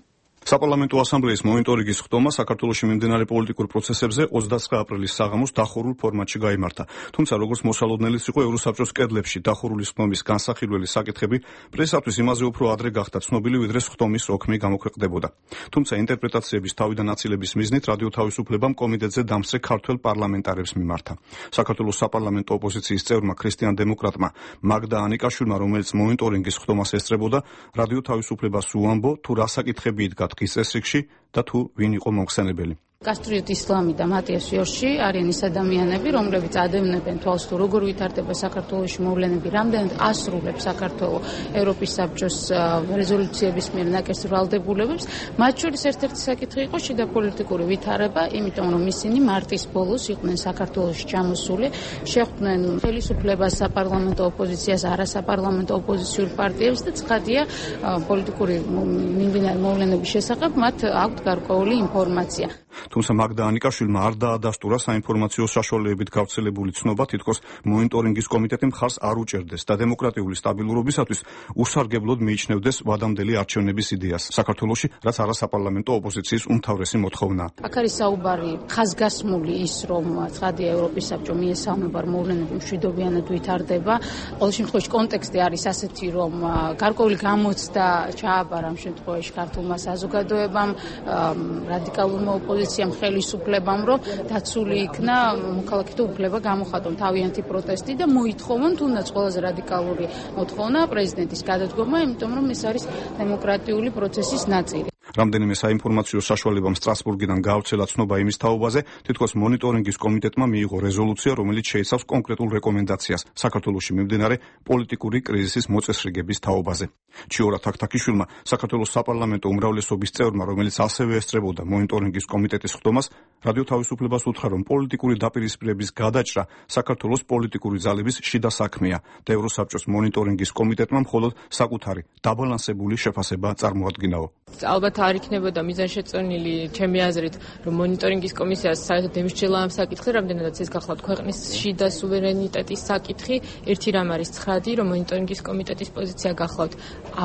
საპარლამენტო ასამბლეის მონიტორინგის ხდომა საქართველოში მიმდინარე პოლიტიკურ პროცესებზე ოცდაცხრა აპრილის საღამოს დახურულ ფორმატში გაიმართა. თუმცა, როგორც მოსალოდნელიც იყო ევროსაბჭოს კედლებში დახურული ხდომის განსახილველი საკითხები, პრესისათვის იმაზე უფრო ადრე გახდა ცნობილი, ვიდრე ხდომის ოქმი გამოქვეყნდებოდა. თუმცა, ინტერპრეტაციების თავიდან აწილების მიზნით რადიო თავისუფლებამ კომიტეტზე დამსწრე ქართველ პარლამენტარებს მიმართა. საქართველოს საპარლამენტო ოპოზიციის წევრმა ქრისტიან დემოკრატმა მაგდა ანიკაშვილმა, რომელიც მონიტორინგის ხდომას ესწრებოდა, რადიო თავისუფლებას უამბო, თუ რა საკითხები იდგა ის წესრიგში და თუ ვინ იყო მომხსენებელი. კასტრიოტ ისლამი და მატიას იორში არიან ის ადამიანები, რომლებიც ადევნებენ თვალს თუ როგორ ვითარდება საქართველოში მოვლენები, რამდენად ასრულებს საქართველო ევროპის საბჭოს რეზოლუციების მიერ ნაკერს ვალდებულებებს. მათ შორის ერთ-ერთი საკითხი იყო შიდა პოლიტიკური ვითარება, იმიტომ რომ ისინი მარტის ბოლოს იყვნენ საქართველოში ჩამოსული, შეხვდნენ ხელისუფლებას, საპარლამენტო ოპოზიციას, არასაპარლამენტო ოპოზიციურ პარტიებს და ცხადია პოლიტიკური მიმდინარე მოვლენების შესახებ მათ აქვთ გარკვეული ინფორმაცია. თუმცა მაგდა ანიკაშვილმა არ დაადასტურა საინფორმაციო საშუალებებით გავრცელებული ცნობა, თითქოს მონიტორინგის კომიტეტი მხარს არ უჭერდეს და დემოკრატიული სტაბილურობისათვის უსარგებლოდ მიიჩნევდეს ვადამდელი არჩევნების იდეას საქართველოში, რაც არასაპარლამენტო ოპოზიციის უმთავრესი მოთხოვნაა. აქ არის საუბარი ხაზგასმული ის, რომ ცხადია ევროპის საბჭო მიესალმება მოვლენები მშვიდობიანად ვითარდება. ყოველ შემთხვევაში კონტექსტი არის ასეთი, რომ გარკვეული გამოცდა ჩააბარა ამ შემთხვევაში ქართულმა საზოგადოებამ, რადიკალურმა ოპოზიციამ, ხელისუფლებამ, რომ დაცული იქნა მოქალაქეთა უფლება გამოხატონ თავიანთი პროტესტი და მოითხოვონ თუნდაც ყველაზე რადიკალური მოთხოვნა პრეზიდენტის გადადგომა, იმიტომ რომ ეს არის დემოკრატიული პროცესის ნაწილი. რამდენიმე საინფორმაციო საშუალებამ სტრასბურგიდან გაავრცელა ცნობა იმის თაობაზე, თითქოს მონიტორინგის კომიტეტმა მიიღო რეზოლუცია, რომელიც შეიცავს კონკრეტულ რეკომენდაციას საქართველოში მიმდინარე პოლიტიკური კრიზისის მოწესრიგების თაობაზე. ჩიორა თაქთაქიშვილმა, საქართველოს საპარლამენტო უმრავლესობის წევრმა, რომელიც ასევე ესწრებოდა მონიტორინგის კომიტეტის ხდომას, რადიო თავისუფლებას უთხრა, რომ პოლიტიკური დაპირისპირების გადაჭრა საქართველოს პოლიტიკური ძალების შიდა საქმეა და ევროსაბჭოს მონიტორინგის კომიტეტმა მხოლოდ საკუთარი დაბალანსებული შეფასება წარმოადგინაო. ალბათ არ იქნებოდა მიზანშეწონილი ჩემი აზრით, რომ მონიტორინგის კომისიას საერთოდ ემსჯელა ამ საკითხზე, რამდენადაც ეს გახლავთ ქვეყნის შიდა სუვერენიტეტის საკითხი. ერთი რამ არის ცხადი, რომ მონიტორინგის კომიტეტის პოზიცია გახლავთ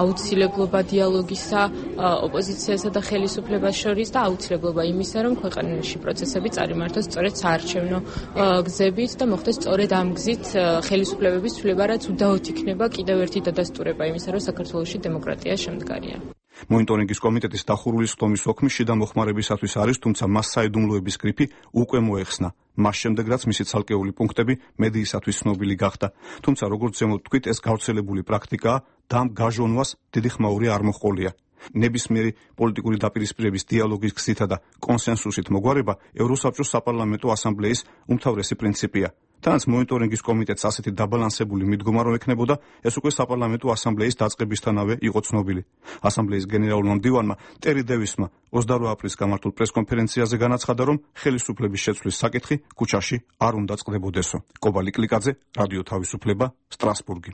აუცილებლობა დიალოგისა ოპოზიციასა და ხელისუფლებას შორის და აუცილებლობა იმისა, რომ ქვეყანაში პროცესები წარიმართოს სწორედ საარჩევნო გზებით და მოხდეს სწორედ ამ გზით ხელისუფლებების ცვლილება, რაც უდაოდ იქნება კიდევ ერთი დადასტურება იმისა, რომ საქართველოში დემოკრატია შემდგარია. მონიტორინგის კომიტეტის დახურული სხდომის ოქმი შიდა მოხმარებისათვის არის, თუმცა მას საიდუმლოების გრიფი უკვე მოეხსნა. მას შემდეგ რაც მისი ცალკეული პუნქტები მედიისათვის ცნობილი გახდა. თუმცა როგორც ზემოთ ვთქვით, ეს გავრცელებული პრაქტიკაა და ამ გაჟონვას დიდი ხმაური არ მოჰყოლია. ნებისმიერი პოლიტიკური დაპირისპირების დიალოგის გზითა და კონსენსუსით მოგვარება ევროსაბჭოს საპარლამენტო ასამბლეის უმთავრესი პრინციპია. თანაც მონიტორინგის კომიტეტს ასეთი დაბალანსებული მიდგომა რომ ექნებოდა, ეს უკვე საპარლამენტო ასამბლეის დაწყებისთანავე იყო ცნობილი. ასამბლეის გენერალურმა მდივანმა ტერი დევისმა ოცდაორი აპრილის გამართულ პრესკონფერენციაზე განაცხადა, რომ ხელისუფლების შეცვლის საკითხი ქუჩაში არ უნდა წყდებოდესო. კობალი კლიკაძე, რადიო თავისუფლება, სტრასბურგი.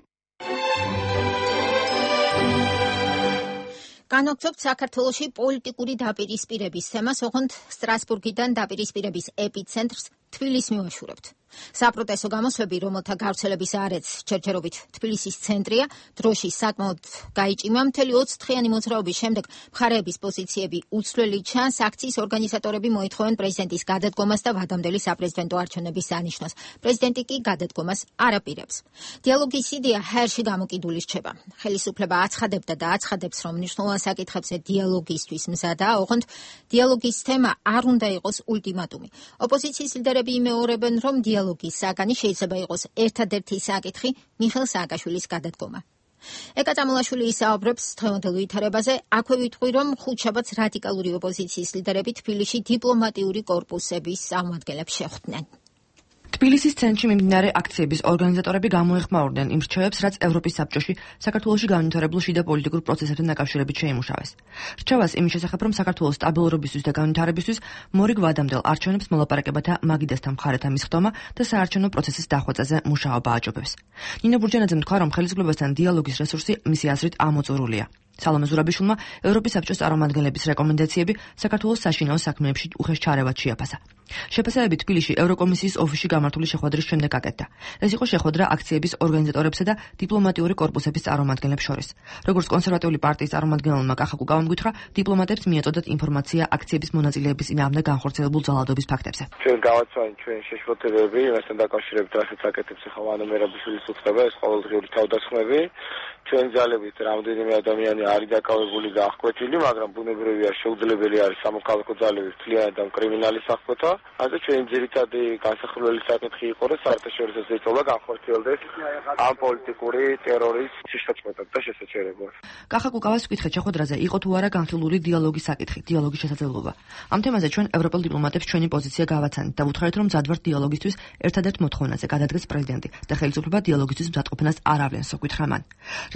განვაგრძობთ საქართველოში პოლიტიკური დაპირისპირების თემას, ოღონდ სტრასბურგიდან დაპირისპირების ეპიცენტრს თბილისს მივაშურებთ. საპროტესტო გამოსვლები, რომელთა გავრცელების არეც ჯერჯერობით თბილისის ცენტრია, დროშის საკმაოდ გაიჭიმა. მთელი ოცდღიანი მოძრაობის შემდეგ მხარეების პოზიციები უცვლელი ჩანს. აქციის ორგანიზატორები მოითხოვენ პრეზიდენტის გადადგომას და ვადამდელი საპრეზიდენტო არჩევნების დანიშნოს. პრეზიდენტი კი გადადგომას არ აპირებს. დიალოგის იდეა ჰაერში გამოკიდული რჩება. ხელისუფლება აცხადებდა და აცხადებს, რომ მნიშვნელოვან საკითხებზე დიალოგისთვის მზადაა, ოღონდ დიალოგის თემა არ უნდა იყოს ულტიმატუმი. ოპოზიციის ლიდერები იმეორებენ, რომ დიალოგის საგანი შეიძლება იყოს ერთადერთი საკითხი მიხეილ სააკაშვილის გადადგომა. ეკა წამულაშვილი ისაუბრებს დღევანდელ ვითარებაზე, აქვე ვიტყვი, რომ ხუთშაბათს რადიკალური ოპოზიციის ლიდერები თბილისში დიპლომატიური კორპუსების წარმომადგენლებს შეხვდნენ. თბილისის ცენტრში მიმდინარე აქციების ორგანიზატორები გამოეხმაურდნენ იმ რჩევებს, რაც ევროპის საბჭოში საქართველოში განვითარებულ შიდა პოლიტიკურ პროცესებთან დაკავშირებით შეიმუშავეს. რჩევას იმის შესახებ, რომ საქართველოს სტაბილურობისთვის და განვითარებისთვის მორიგ ვადამდელ არჩევნებს მოლაპარაკებათა მაგიდასთან მხარეთა მისხდომა და საარჩევნო პროცესის დახვეწაზე მუშაობა აჯობებს. ნინო ბურჯანაძემ თქვა, რომ ხელისუფლებასთან დიალოგის რესურსი მისი აზრით ამოწურულია. სალომე ზურაბიშვილმა ევროპის საბჭოს წარმომადგენლების რეკომენდაციები საქართველოს საშინაო საქმეებში უხეშ ჩარევად შეაფასა. შეფასებები თბილისში ევროკომისიის ოფისში გამართული შეხვედრის შემდეგ აკეთდა. ეს იყო შეხვედრა აქციების ორგანიზატორებსა და დიპლომატიური კორპუსების წარმომადგენლებს შორის. როგორც კონსერვატიული პარტიის წარმომადგენელმა კახა კუკავამ გითხრა, დიპლომატებს მიეწოდათ ინფორმაცია აქციების მონაწილეების წინააღმდეგ განხორციელებულ ძალადობის ფაქტებზე. ჩვენ გავაცვალეთ ჩვენ შეშფოთებები, მასთან დაკავშირებით რასაც აკეთებს ახლა ვანო მერაბიშვილის უწყება, ეს ყოველდღიური თავდასხმები. ჩვენ ძალებით რამდენიმე ადამიანი არის დაკავებული და აღკვეთილი, მაგრამ ბუნებრივია შეუძლებელი არის სამოქალაქო ძალების მთლიანად და კრიმინალის აღკვეთა. ასე ჩვენ ძირითადი განსახილველი საკითხი იყო, რომ საერთაშორისო ზეწოლა განხორციელდეს ამ პოლიტიკური ტერორის შესაძლებლად და შესაძლებლად. კახა კუკავას ვკითხეთ შეხვედრაზე იყო თუ არა განხილული დიალოგის საკითხი, დიალოგის შესაძლებლობა. ამ თემაზე ჩვენ ევროპელ დიპლომატებს ჩვენი პოზიცია გავაცანით და ვუთხარით, რომ მზად დიალოგისთვის ერთადერთ მოთხოვნაზე გადადგეს პრეზიდენტი და ხელისუფლება დიალოგისთვის მზადყოფნას არ ავლენს, გითხრა მან.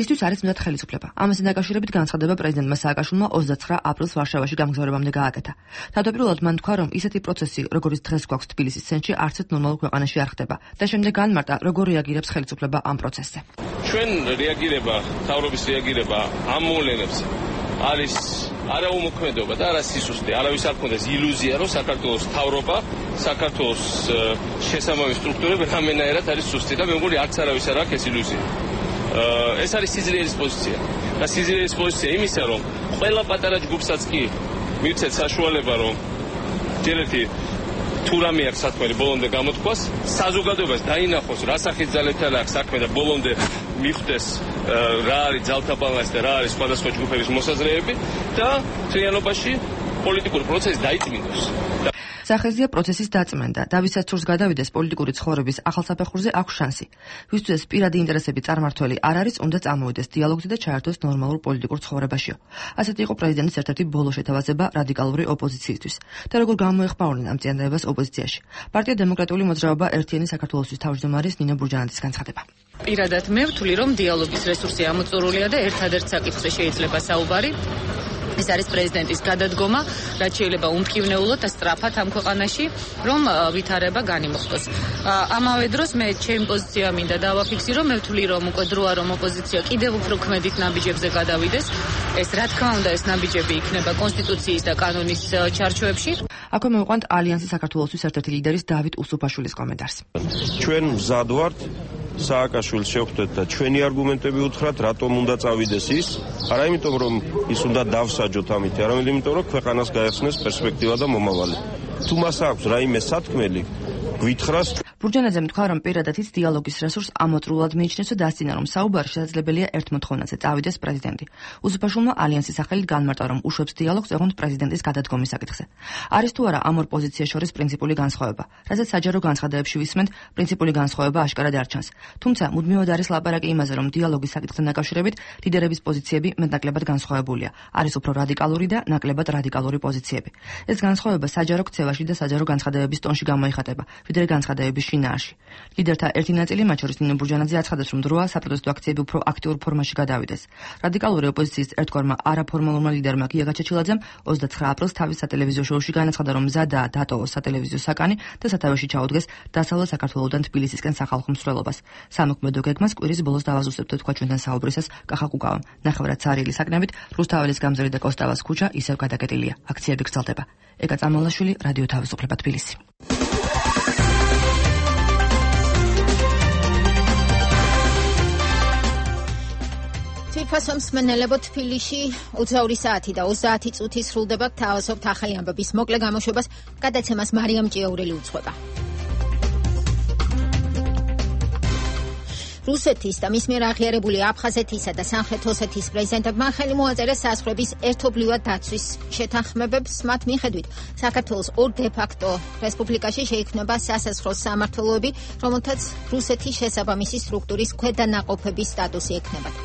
რისთვის არის მზად ხელისუფლება? ამასთან დაკავშირებით განცხადება პრეზიდენტმა სააკაშვილმა ოცდაცხრა აპრილს ვარშავაში გამგზავრებამდე გააკეთა. თავდაპირველად მან თქვა, რომ ისეთი პროცესი, როგორც დღეს გვაქვს თბილისის ცენტრში, არც ერთ ნორმალურ ქვეყანაში არ ხდება და შემდეგ განმარტა, როგორ რეაგირებს ხელისუფლება ამ პროცესზე. ჩვენ რეაგირება, თავრობის რეაგირება ამ მოვლენებს არის არა უმოქმედობა და არა სისუსტე. არავის არ ქონდეს ილუზია, რომ საქართველოს თავრობა, საქართველოს შესაბამისი სტრუქტურები რამენაერად არის სუსტი და მე მგონი არც არავის არ აქვს ეს ილუზია. ეს არის სიძლიერის პოზიცია. და სიძლიერის პოზიცია იმისა, რომ ყველა პატარა ჯგუფსაც კი მივცეთ საშუალება, რომ ჯერეთი თუ რამე აქვს საქმე ბოლომდე გამოთქვას, საზოგადოებას დაინახოს, რა სახის ძალებთან აქვს საქმე და ბოლომდე მიხვდეს რა არის ძალთა ბალანსი და რა არის სხვადასხვა ჯგუფების მოსაზრებები და თლიანობაში პოლიტიკური პროცესი დაიწმინდოს. სახეზია პროცესის დაწმენდა და ვისაც სურს გადავიდეს პოლიტიკური ცხოვრების ახალ საფეხურზე აქვს შანსი. ვისთვის პირადი ინტერესები წარმართველი არ არის, უნდა წამოვიდეს დიალოგზე და ჩაერთოს ნორმალურ პოლიტიკურ ცხოვრებაშიო. ასეთი იყო პრეზიდენტის ერთ-ერთი ბოლო შეთავაზება რადიკალური ოპოზიციისთვის. და როგორ გამოეხმაურნენ ამ წინადადებას ოპოზიციაში. პარტია დემოკრატიული მოძრაობა ერთიანი საქართველოსთვის თავმჯდომარის ნინო ბურჯანაძის განცხადება. პირადად მე ვთვლი, რომ დიალოგის რესურსი ამოწურულია და ერთადერთ საკითხზე შეიძლება საუბარი. ეს არის პრეზიდენტის გადადგომა, რაც შეიძლება უმტკივნეულოდ და სწრაფად ამ ქვეყანაში, რომ ვითარება განიმოხდოს. ამავე დროს მე ჩემი პოზიცია მინდა დავაფიქსირო, მე ვთვლი, რომ უკვე დროა რომ ოპოზიცია კიდევ უფრო ქმედით ნაბიჯებზე გადავიდეს. ეს რა თქმა უნდა ეს ნაბიჯები იქნება კონსტიტუციის და კანონის ჩარჩოებში. აქვე მოვიყვანთ ალიანსის საქართველოსთვის ერთ-ერთი ლიდერის დავით უსუფაშვილის კომენტარს. ჩვენ მზად ვართ სააკაშვილს შევხვდეთ და ჩვენი არგუმენტები უთხრათ, რატომ უნდა წავიდეს ის, არა იმიტომ რომ ის უნდა დავსაჯოთ ამით, არამედ იმიტომ რომ ქვეყანას გაეხსნეს პერსპექტივა და მომავალი. თუ მას აქვს რაიმე სათქმელი, გვითხრას. ბურჯანაძემ თქვა, რომ პირადად ის დიალოგის რესურსს ამოწრულად მიიჩნევს და დასძინა, რომ საუბარი შესაძლებელია ერთ მოთხოვნაზე წავიდეს პრეზიდენტი. უზეფაშვილმა ალიანსის სახელით განმარტა, რომ უშვებს დიალოგს ეღონდ პრეზიდენტის გადადგომის საკითხზე. არის თუ არა ამ ორ პოზიციას შორის პრინციპული განსხვავება, რასაც საჯარო განცხადებებში ვისმენთ, პრინციპული განსხვავება აშკარად არ ჩანს. თუმცა მუდმივად არის ლაპარაკი იმაზე, რომ დიალოგის საკითხთან დაკავშირებით ლიდერების პოზიციები მეტნაკლებად განსხვავებულია. არის უფრო რადიკალური და ნაკლებად რადიკალური პოზიციები. ეს განსხვავება საჯარო ქცევაში და საჯარო განცხადებების ტონში გამოიხატება, ვიდრე განცხადებების შინაარში. ლიდერთა ერთი ნაწილი, მათ შორის ნინო ბურჯანაძე, აცხადებს, რომ დროა საპროტესტო აქციები უფრო აქტიურ ფორმაში გადავიდეს. რადიკალური ოპოზიციის ერთგვარმა არაფორმალურმა ლიდერმა გია გაჩეჩილაძემ ოცდაცხრა აპრილს თავის სატელევიზიო შოუში განაცხადა, რომ მზადაა დატოვოს სატელევიზიო საკანი და სათავეში ჩაუდგეს დასავლეთ საქართველოდან თბილისისკენ სახალხო მსვლელობას. სამოქმედო გეგმას კვირის ბოლოს დავაზუსტებთ, თქვა ჩვენთან საუბრისას კახა კუკავამ. ნახევრად ცარიელი საკნებით რუსთაველის გამზირი და კოსტავას ქუჩა ისევ გადაკეტილია. აქციები გრძელდება. ეკა წამალაშვილი, რადიო თავისუფლება, თბილისი. თვითფასო მსმენელებო, თბილისში ოცდაორი საათი და ოცდაათი წუთი სრულდება. გთავაზობთ ახალი ამბების მოკლე გამოშვებას, გადაცემას მარიამ ჭიაურელი უძღვება. რუსეთის და მის მიერ აღიარებული აფხაზეთისა და სამხრეთ ოსეთის პრეზიდენტებმა ხელი მოაწერეს საზღვრების ერთობლივად დაცვის შეთანხმებებს. მათ მიხედვით, საქართველოს ორ დე-ფაქტო რესპუბლიკაში შეიქმნება სასაზღვრო სამმართველოები, რომელთაც რუსეთის შესაბამისი სტრუქტურის ქვედანაყოფების სტატუსი ექნებათ.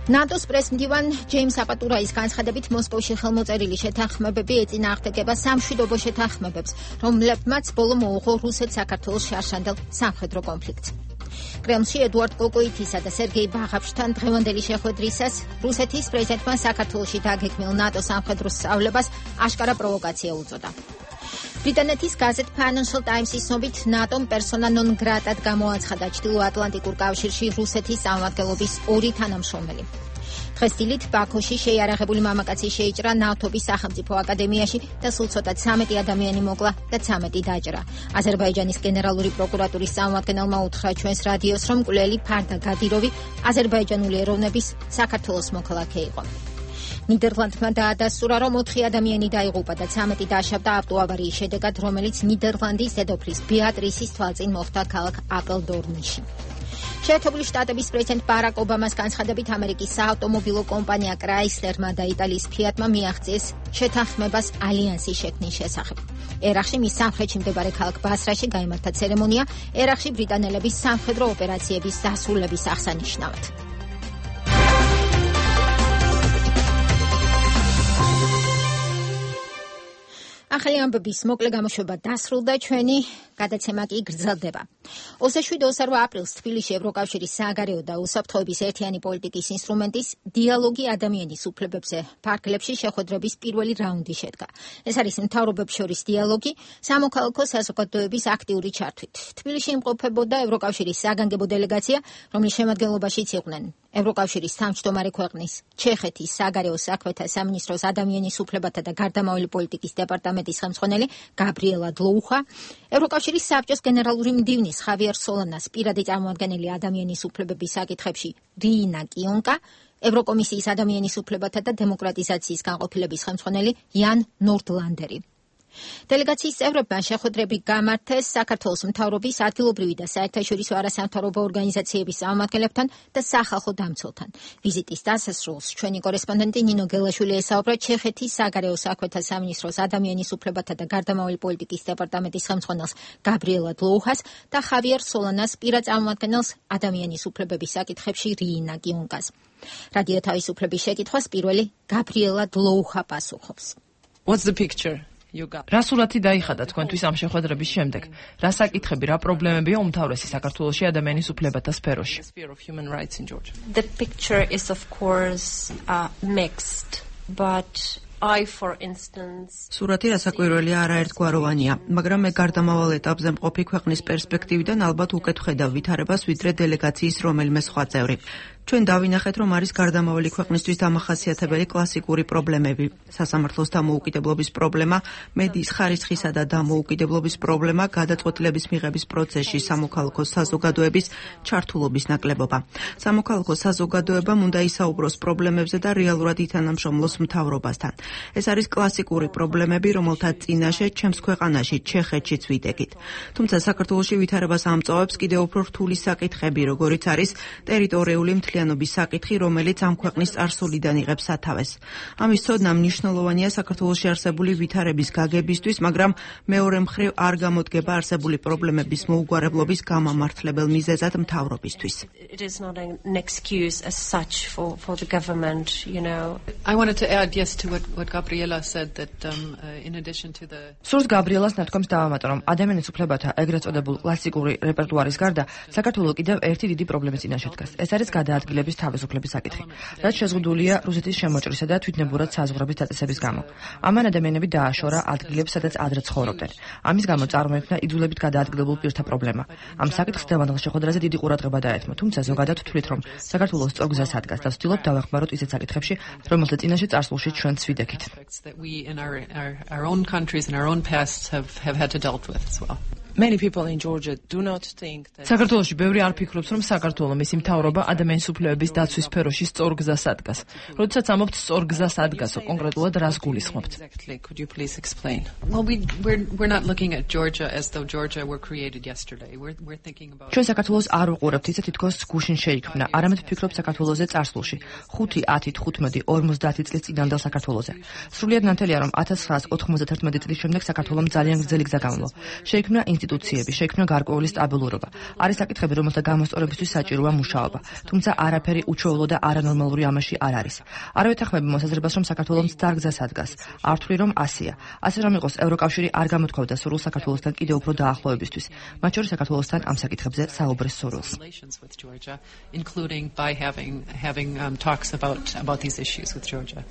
ნატოს პრესმდივან ჯეიმს აპატურაის განცხადებით, მოსკოვში ხელმოწერილი შეთანხმებები ეწინააღმდეგება სამშვიდობო შეთანხმებებს, რომლებმაც ბოლო მოუღო რუსეთ-საქართველოს შარშანდელ სამხედრო კონფლიქტს. კრემლში ედუარდ კოკოითისა და სერგეი ბაღაფშთან დღევანდელი შეხვედრისას რუსეთის პრეზიდენტმა საქართველოში დაგეგმილ ნატოს სამხედრო სწავლებას აშკარა პროვოკაცია უწოდა. ბრიტანეთის გაზეთ Financial Times-ის ცნობით, ნატომ პერსონა ნონ გრატად გამოაცხადა ჩრდილოატლანტიკურ კავშირში რუსეთის წარმომადგენლობის ორი თანამშრომელი. დღეს დილით ბაქოში შეიარაღებული მამაკაცი შეიჭრა ნავთობის სახელმწიფო აკადემიაში და სულ ცოტა ცამეტი ადამიანი მოკლა და ცამეტი დაჭრა. აზერბაიჯანის გენერალური პროკურატურის წარმომადგენელმა უთხრა ჩვენს რადიოს, რომ მკვლელი ფარდა გადიროვი აზერბაიჯანული ეროვნების საქართველოს მოქალაქე იყო. ნიდერლანდმა დაადასტურა, რომ ოთხი ადამიანი დაიღუპა და ცამეტი დააშავდა ავტოავარიის შედეგად, რომელიც ნიდერლანდის დედოფლის ბეატრისის თვალწინ მოხდა ქალაქ აპელდორნში. შეერთებული შტატების პრეზიდენტ ბარაკ ობამას განცხადებით, ამერიკის საავტომობილო კომპანია კრაისლერმა და იტალიის ფიატმა მიაღწიეს შეთანხმებას ალიანსის შექმნის შესახებ. ერახში მის სამხრეთში მდებარე ქალაქ ბასრაში გაიმართა ცერემონია ერახში ბრიტანელების სამხედრო ოპერაციების დასრულების აღსანიშნავად. ახალი ამბების მოკლე გამოშვება დასრულდა, ჩვენი გადაცემა კი გრძელდება. ოცდაშვიდ ოცდაოთხ აპრილს თბილისში ევროკავშირის სააგარეო და უსაფრთხოების ერთიანი პოლიტიკის ინსტრუმენტის დიალოგი ადამიანის უფლებებზე ფარგლებში შეხვედრების პირველი რაუნდი შედგა. ეს არის მთავრობებს შორის დიალოგი სამოქალაქო საზოგადოების აქტიური ჩართვით. თბილისში იმყოფებოდა ევროკავშირის საგანგებო დელეგაცია, რომლის შემადგენლობაშიც იყვნენ ევროკავშირის თავმჯდომარე ქვეყნის ჩეხეთის საგარეო საქმეთა სამინისტროს ადამიანის უფლებათა და გარდამავალი პოლიტიკის დეპარტამენტის ხელმძღვანელი გაბრიელა დლოუხა, ევროკავშირის საბჭოს გენერალური მდივნის ხავიერ სოლანას პირადი წარმომადგენელი ადამიანის უფლებების საკითხებში რიინა კიონკა, ევროკომისიის ადამიანის უფლებათა და დემოკრატიზაციის განყოფილების ხელმძღვანელი იან ნორდლანდერი. დელეგაციის წევრებმა შეხვედრები გამართეს საქართველოს მთავრობის ადგილობრივი და საერთაშორისო არასამთავრობო ორგანიზაციების წარმომადგენლებთან და სახალხო დამცველთან. ვიზიტის დასასრულს ჩვენი კორესპონდენტი ნინო გელაშვილი ესაუბრა ჩეხეთის საგარეო საქმეთა სამინისტროს ადამიანის უფლებათა და გარდამავალი პოლიტიკის დეპარტამენტის ხელმძღვანელს გაბრიელა დლოუხას და ხავიერ სოლანას პირად წარმომადგენელს ადამიანის უფლებების საკითხებში რიინა კიონკას. რადიო თავისუფლების შეკითხვას პირველი გაბრიელა დლოუხა პასუხობს. What's the picture? რა სურათი დაიხადა თქვენთვის ამ შეხვედრების შემდეგ? რა საკითხები, რა პრობლემებია უმთავრესი საქართველოში ადამიანის უფლებათა სფეროში? The picture is of course uh, mixed, but I for instance სურათი რასაკვირველია არაერთგვაროვანია, მაგრამ მე გარდამავალ ეტაპზე მყოფი ქვეყნის პერსპექტივიდან ალბათ უკეთ ვხედავ ვითარებას ვიდრე დელეგაციის რომელიმე სხვა წევრი. ჩვენ დავინახეთ, რომ არის გარდამავალი ქვეყნისთვის დამახასიათებელი კლასიკური პრობლემები: სასამართლოს დამოუკიდებლობის პრობლემა, მედიის ხარისხისა და დამოუკიდებლობის პრობლემა, გადაწყვეტილების მიღების პროცესში სამოქალაქო საზოგადოების ჩართულობის ნაკლებობა. სამოქალაქო საზოგადოებამ უნდა ისაუბროს პრობლემებზე და რეალურად ითანამშრომლოს მთავრობასთან. ეს არის კლასიკური პრობლემები, რომელთა წინაშე ჩემს ქვეყანაში, ჩეხეთშიც ვიდეგით. თუმცა საქართველოში ვითარებას ამწვავებს კიდევ უფრო რთული საკითხები, როგორიც არის ტერიტორიული მთლიანობის საკითხი, რომელიც ამ ქვეყნის წარსულიდან იღებს სათავეს. ამის ცოდნა მნიშვნელოვანია საქართველოში არსებული ვითარების გაგებისთვის, მაგრამ მეორე მხრივ არ გამოდგება არსებული პრობლემების მოუგვარებლობის გამამართლებელ მიზეზად მთავრობისთვის. It is not an excuse as such for for the government, you know. I wanted to add yes to what what Gabriela said that um, uh, in addition to the სურს გაბრიელას ნათქვამს დავამატო, რომ ადამიანის უფლებათა ეგრეთ წოდებულ კლასიკური რეპერტუარის გარდა საქართველოს კიდევ ერთი დიდი პრობლემის წინაშე დგას. ეს არის გადაადგილების თავისუფლების საკითხი, რაც შეზღუდულია რუსეთის შემოჭრისა და თვითნებურად საზღვრების დაწესების გამო. ამან ადამიანები დააშორა ადგილებს, სადაც ადრე ცხოვრობდნენ. ამის გამო წარმოიქმნა იძულებით გადაადგილებულ პირთა პრობლემა. ამ საკითხს დევანდელ შეხვედრაზე დიდი ყურადღება დაეთმო, თუმცა ზოგადად ვთვლით, რომ საქართველოს სწორგზას ადგას და ვცდილობთ დავეხმაროთ ისეთ საკითხებში, რომელთა წინაშე წარსულში ჩვენც ვიდექით. that we in our, our our own countries and our own pasts have have had to dealt with as well. Many people in Georgia do not think that საქართველოში ბევრი არ ფიქრობს, რომ საქართველოს მისი მთავრობა ადამიანის უფლებების დაცვის სფეროში სწორგზას ადგას. როდესაც ამობთ სწორგზას ადგასო, კონკრეტულად რას გულისხმობთ? Exactly. Could you please explain? Well, we we're we're not looking at Georgia as though Georgia were created yesterday. We're we're thinking about ჩვენ საქართველოს არ ვუყურებთ ისე თითქოს გუშინ შეიქმნა, არამედ ვფიქრობთ საქართველოზე წარსულში. ხუთი, ათი, თხუთმეტი, ორმოცდაათი წლის წინანდელ საქართველოზე. სრულიად ნათელია, რომ ათას ცხრაას ოთხმოცდათერთმეტი წლის შემდეგ საქართველოს ძალიან გრძელი გზა გამო. შეიქმნა ინსტიტუციები, შეიქმნა გარკვეული სტაბილურობა. არის საკითხები, რომელთა გამოსწორებისთვის საჭიროა მუშაობა, თუმცა არაფერი უჩვეულო და არანორმალური ამაში არ არის. არ ვეთანხმები მოსაზრებას, რომ საქართველოს დარგზას ადგას. არ ვთვლი, რომ ასია. ასე რომ იყოს, ევროკავშირი არ გამოთქვამდა სურვილს საქართველოსთან კიდევ უფრო დაახლოებისთვის, მათ შორის საქართველოსთან ამ საკითხებზე საუბრის სურვილს. including by having having um, talks about about these issues with Georgia.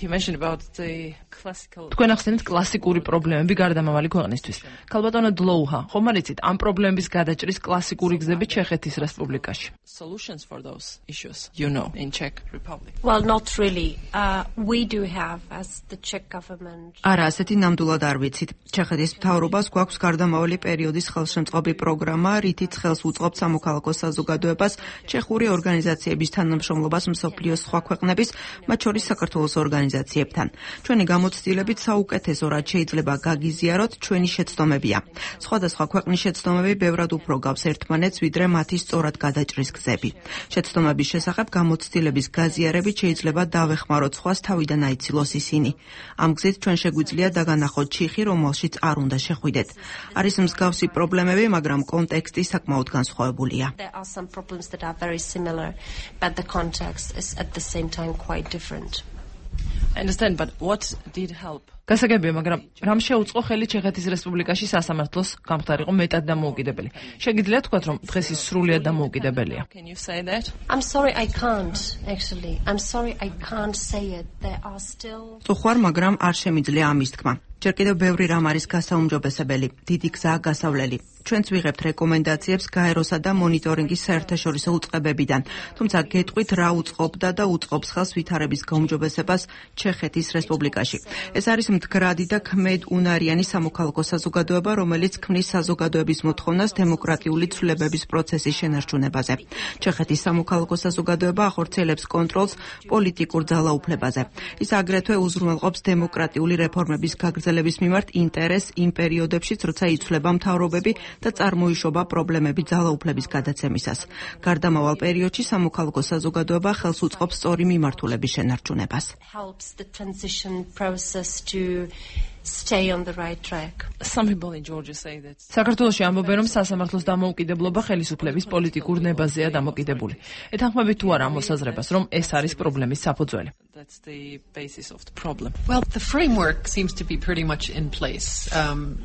You mentioned about the classical თქვენ ახსენეთ კლასიკური პრობლემები გარდამავალი ქვეყნისთვის. ქალბატონო დლოუჰა, ხომ არ იცით ამ პრობლემების გადაჭრის კლასიკური გზები ჩეხეთის რესპუბლიკაში? solutions for those issues, you know, in Czech Republic. Well, not really. Uh, we do have as the Czech government. არა, ასეთი ნამდვილად არ ვიცით. ჩეხეთის მთავრობას გვაქვს გარდამავალი პერიოდის ხელშემწყობი პროგრამა, რითიც ხელს უწყობთ სამოქალაქო საზოგადოებას, ჩეხური ორგანიზაციების თანამშრომლობას მსოფლიოს სხვა ქვეყნების, მათ შორის საქართველოს ორგანიზაციებთან. ჩვენი გამოცდილებით საუკეთესო, რაც შეიძლება გაგიზიაროთ, ჩვენი შეცდომებია. სხვადასხვა ქვეყნის შეცდომები ბევრად უფრო გავს ერთმანეთს, ვიდრე მათი სწორად გადაჭრის გზები. შეცდომების შესახებ გამოცდილების გაზიარებით შეიძლება დავეხმაროთ სხვას თავიდან აიცილოს ისინი. ამ გზით ჩვენ შეგვიძლია დაგანახოთ ჩიხი, რომელშიც არ უნდა შეხვიდეთ. არის მსგავსი პრობლემები, მაგრამ კონტექსტი საკმაოდ განსხვავებულია. There are some problems that are very similar, but the context is at the same time quite different. I understand, but what did help? გასაგებია, მაგრამ რამ შეუწყო ხელი ჩეხეთის რესპუბლიკაში სასამართლოს გამხდარიყო მეტად დამოუკიდებელი? შეგიძლიათ თქვათ, რომ დღეს ის სრულიად დამოუკიდებელია? Can you say that? I'm sorry I can't actually. I'm sorry I can't say it. There are still ხوار, მაგრამ არ შემიძლია ამის თქმა. ჯერ კიდევ ბევრი რამ არის გასაუმჯობესებელი, დიდი გზაა გასავლელი. ჩვენც ვიღებთ რეკომენდაციებს გაეროსა და მონიტორინგის საერთაშორისო უწყებებიდან, თუმცა გეტყვით რა უწყობდა და უწყობს ხელს ვითარების გაუმჯობესებას ჩეხეთის რესპუბლიკაში. ეს არის მდგრადი და ქმედუნარიანი სამოქალაქო საზოგადოება, რომელიც ქმნის საზოგადოების მოთხოვნას დემოკრატიული ცვლილებების პროცესის შენარჩუნებაზე. ჩეხეთის სამოქალაქო საზოგადოება ახორციელებს კონტროლს პოლიტიკურ ძალაუფლებაზე. ის აგრეთვე უზრუნველყოფს დემოკრატიული რეფორმების გაგრძელების მიმართ ინტერესს იმ პერიოდებშიც, როცა იცვლება მთავრობები და წარმოიშობა პრობლემები ძალაუფლების გადაცემისას. გარდამავალ პერიოდში სამოქალაქო საზოგადოება ხელს უწყობს სწორი მიმართულების შენარჩუნებას. helps the transition process to stay on the right track. Some people in Georgia say that საქართველოში ამბობენ, რომ სასამართლოს დამოუკიდებლობა ხელისუფლების პოლიტიკურ ნებაზეა დამოკიდებული. ეთანხმებით თუ არა ამ მოსაზრებას, რომ ეს არის პრობლემის საფუძველი? That's the basis of the problem. Well, the framework seems to be pretty much in place. Um,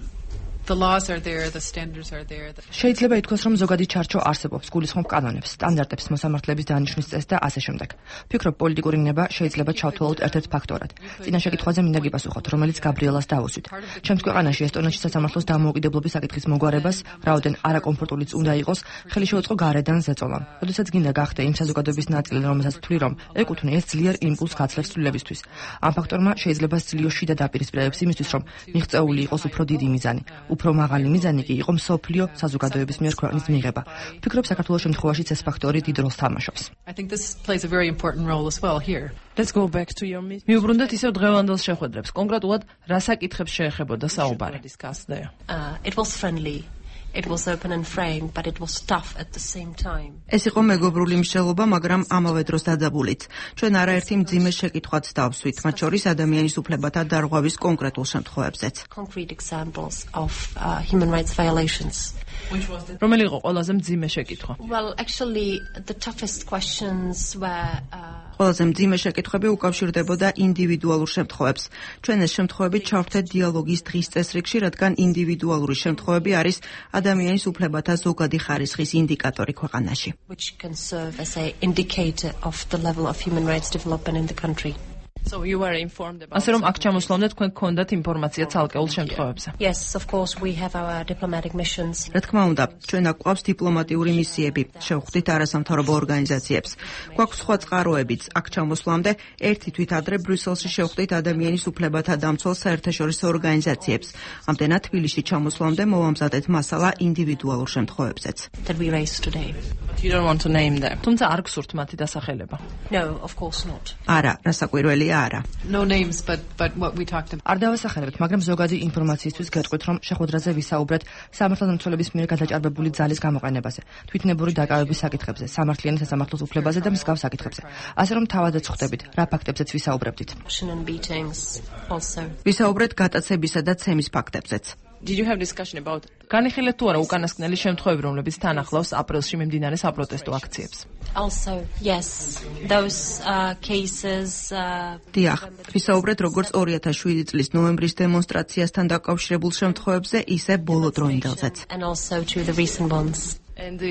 The laws are there, the standards are there. შეიძლება ითქვას, რომ ზოგადი ჩარჩო არსებობს, გულისხმობ კანონებს, სტანდარტებს, მოსამართლების დანიშვნის წესს და ასე შემდეგ. Ფიქრობ, პოლიტიკური ნება შეიძლება ჩავთვალოთ ერთ-ერთ ფაქტორად. წინა შეკითხვაზე მინდა გიპასუხოთ, რომელიც გაბრიელას დავუსვით. ჩემს ქვეყანაში ესტონეთში სასამართლოს დამოუკიდებლობის საკითხის მოგვარებას, რაოდენ არაკომფორტულიც უნდა იყოს, ხელი შეუწყო გარედან ზეწოლამ. როდესაც გინდა გახდე იმ საზოგადოების ნაწილი, რომელსაც ვთვლი, რომ ეკუთვნი ეს ძლიერ იმპულს გაცლევს ცვლილებისთვის. ამ ფაქტორმა შეიძლება სძლიო შიდა დაპირისპირებებს იმისთვის, რომ მიღწეული იყოს უფრო დიდი მიზანი. უფრო მაღალი მიზანი კი იყო მსოფლიო საზოგადოების მიერ ქვეყნის მიღება. ვფიქრობ, საქართველოს შემთხვევაშიც ეს ფაქტორი დიდ როლს თამაშობს. I think this plays a very important role as well here. Let's go back to your meeting. მიუბრუნდეთ ისევ დღევანდელ შეხვედრებს. კონკრეტულად რა საკითხებს შეეხებოდა საუბარი? Uh, it was friendly. It was open and frank, but it was tough at the same time. ეს იყო მეგობრული მსჯელობა, მაგრამ ამავე დროს დაძაბულიც. ჩვენ არაერთი მძიმე შეკითხვაც დავსვით, მათ შორის ადამიანის უფლებათა დარღვევის კონკრეტულ შემთხვევებზეც. Concrete examples of uh, human rights violations. რომელი იყო ყველაზე მძიმე შეკითხვა? Well, actually, the toughest questions were uh, ყველაზე მძიმე შეკითხვები უკავშირდებოდა ინდივიდუალურ შემთხვევებს. ჩვენ ეს შემთხვევები ჩავთვეთ დიალოგის დღის წესრიგში, რადგან ინდივიდუალური შემთხვევები არის ადამიანის უფლებათა ზოგადი ხარისხის ინდიკატორი ქვეყანაში. Which can serve as an indicator of the level of human rights development in the country. So you were informed about. ასე რომ აქ ჩამოსვლამდე თქვენ გქონდათ ინფორმაცია ცალკეულ შემთხვევებზე. Yes, of course we have our diplomatic missions. რა თქმა უნდა, ჩვენ აქ გვაქვს დიპლომატიური მისიები, შევხვდით არასამთავრობო ორგანიზაციებს. გვაქვს სხვა წყაროებიც. აქ ჩამოსვლამდე ერთი თვით ადრე ბრიუსელში შევხვდით ადამიანის უფლებათა დამცველ საერთაშორისო ორგანიზაციებს. ამდენად თბილისში ჩამოსვლამდე მოვამზადეთ მასალა ინდივიდუალურ შემთხვევებზეც. That we raised today. But you don't want to name them. თუმცა არ გსურთ მათი დასახელება. No, of course not. არა, რასაკვირველია არა. No names, but but what we talked about. არ დავასახელებთ, მაგრამ ზოგადი ინფორმაციისთვის გეტყვით, რომ შეხვედრაზე ვისაუბრეთ სამართალდამცველების მიერ გადაჭარბებული ძალის გამოყენებაზე, თვითნებური დაკავების საკითხებზე, სამართლიანი სასამართლოს უფლებაზე და მსგავს საკითხებზე. ასე რომ თავადაც ხვდებით, რა ფაქტებზეც ვისაუბრებდით. ვისაუბრეთ გატაცებისა და ცემის ფაქტებზეც. Did you have discussion about განიხილეთ თუ არა უკანასკნელი შემთხვევები, რომლებიც თან ახლავს აპრილში მიმდინარე საპროტესტო აქციებს? Also, yes, those uh, cases uh, დიახ, ვისაუბრეთ როგორც ორი ათას შვიდი წლის ნოემბრის დემონსტრაციასთან დაკავშირებულ შემთხვევებზე, ისე ბოლო დროინდელზეც. And also to the recent ones. And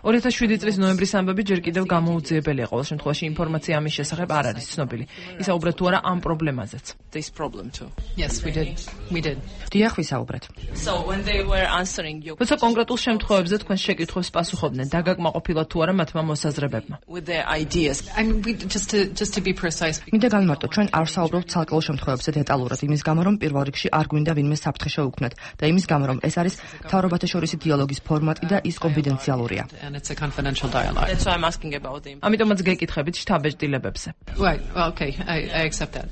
ორი ათას შვიდი წლის ნოემბრის ამბები ჯერ კიდევ გამოუძიებელია. ყოველ შემთხვევაში ინფორმაცია ამის შესახებ არ არის ცნობილი. ისაუბრეთ თუ არა ამ პრობლემაზეც. This problem too. Yes, we did. We did. დიახ, ვისაუბრეთ. So when they were answering you. თუმცა კონკრეტულ შემთხვევებზე თქვენ შეკითხვებს პასუხობდნენ, დაგაკმაყოფილოთ თუ არა მათმა მოსაზრებებმა. With their ideas. I mean, we just to just to be precise. მინდა განმარტო, ჩვენ არ ვსაუბრობთ ცალკეულ შემთხვევებზე დეტალურად, იმის გამო რომ პირველ რიგში არ გვინდა ვინმე საფრთხე შევუქმნათ და იმის გამო რომ ეს არის მთავრობათა შორისი დიალოგის ფორმატი და ის კონფიდენციალურია. And it's a confidential dialogue. That's why I'm asking about them. ამიტომაც გეკითხებით შტაბ-ეჭდილებებზე. Right. Well, okay. I I accept that.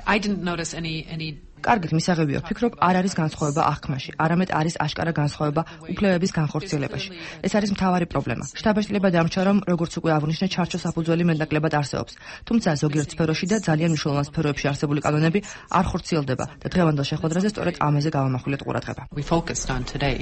I didn't notice any any კარგით, მისაღებია, ვფიქრობ, არ არის განსხვავება აღქმაში, არამედ არის აშკარა განსხვავება უფლებების განხორციელებაში. ეს არის მთავარი პრობლემა. შტაბ-ეჭდილება დამრჩა, რომ როგორც უკვე აღვნიშნე, ჩარჩო საფუძველი მეტნაკლებად არსებობს. თუმცა ზოგიერთ სფეროში და ძალიან მნიშვნელოვან სფეროებში არსებული კანონები არ ხორციელდება და დღევანდელ შეხვედრაზე სწორედ ამაზე გავამახვილეთ ყურადღება. We focused on today.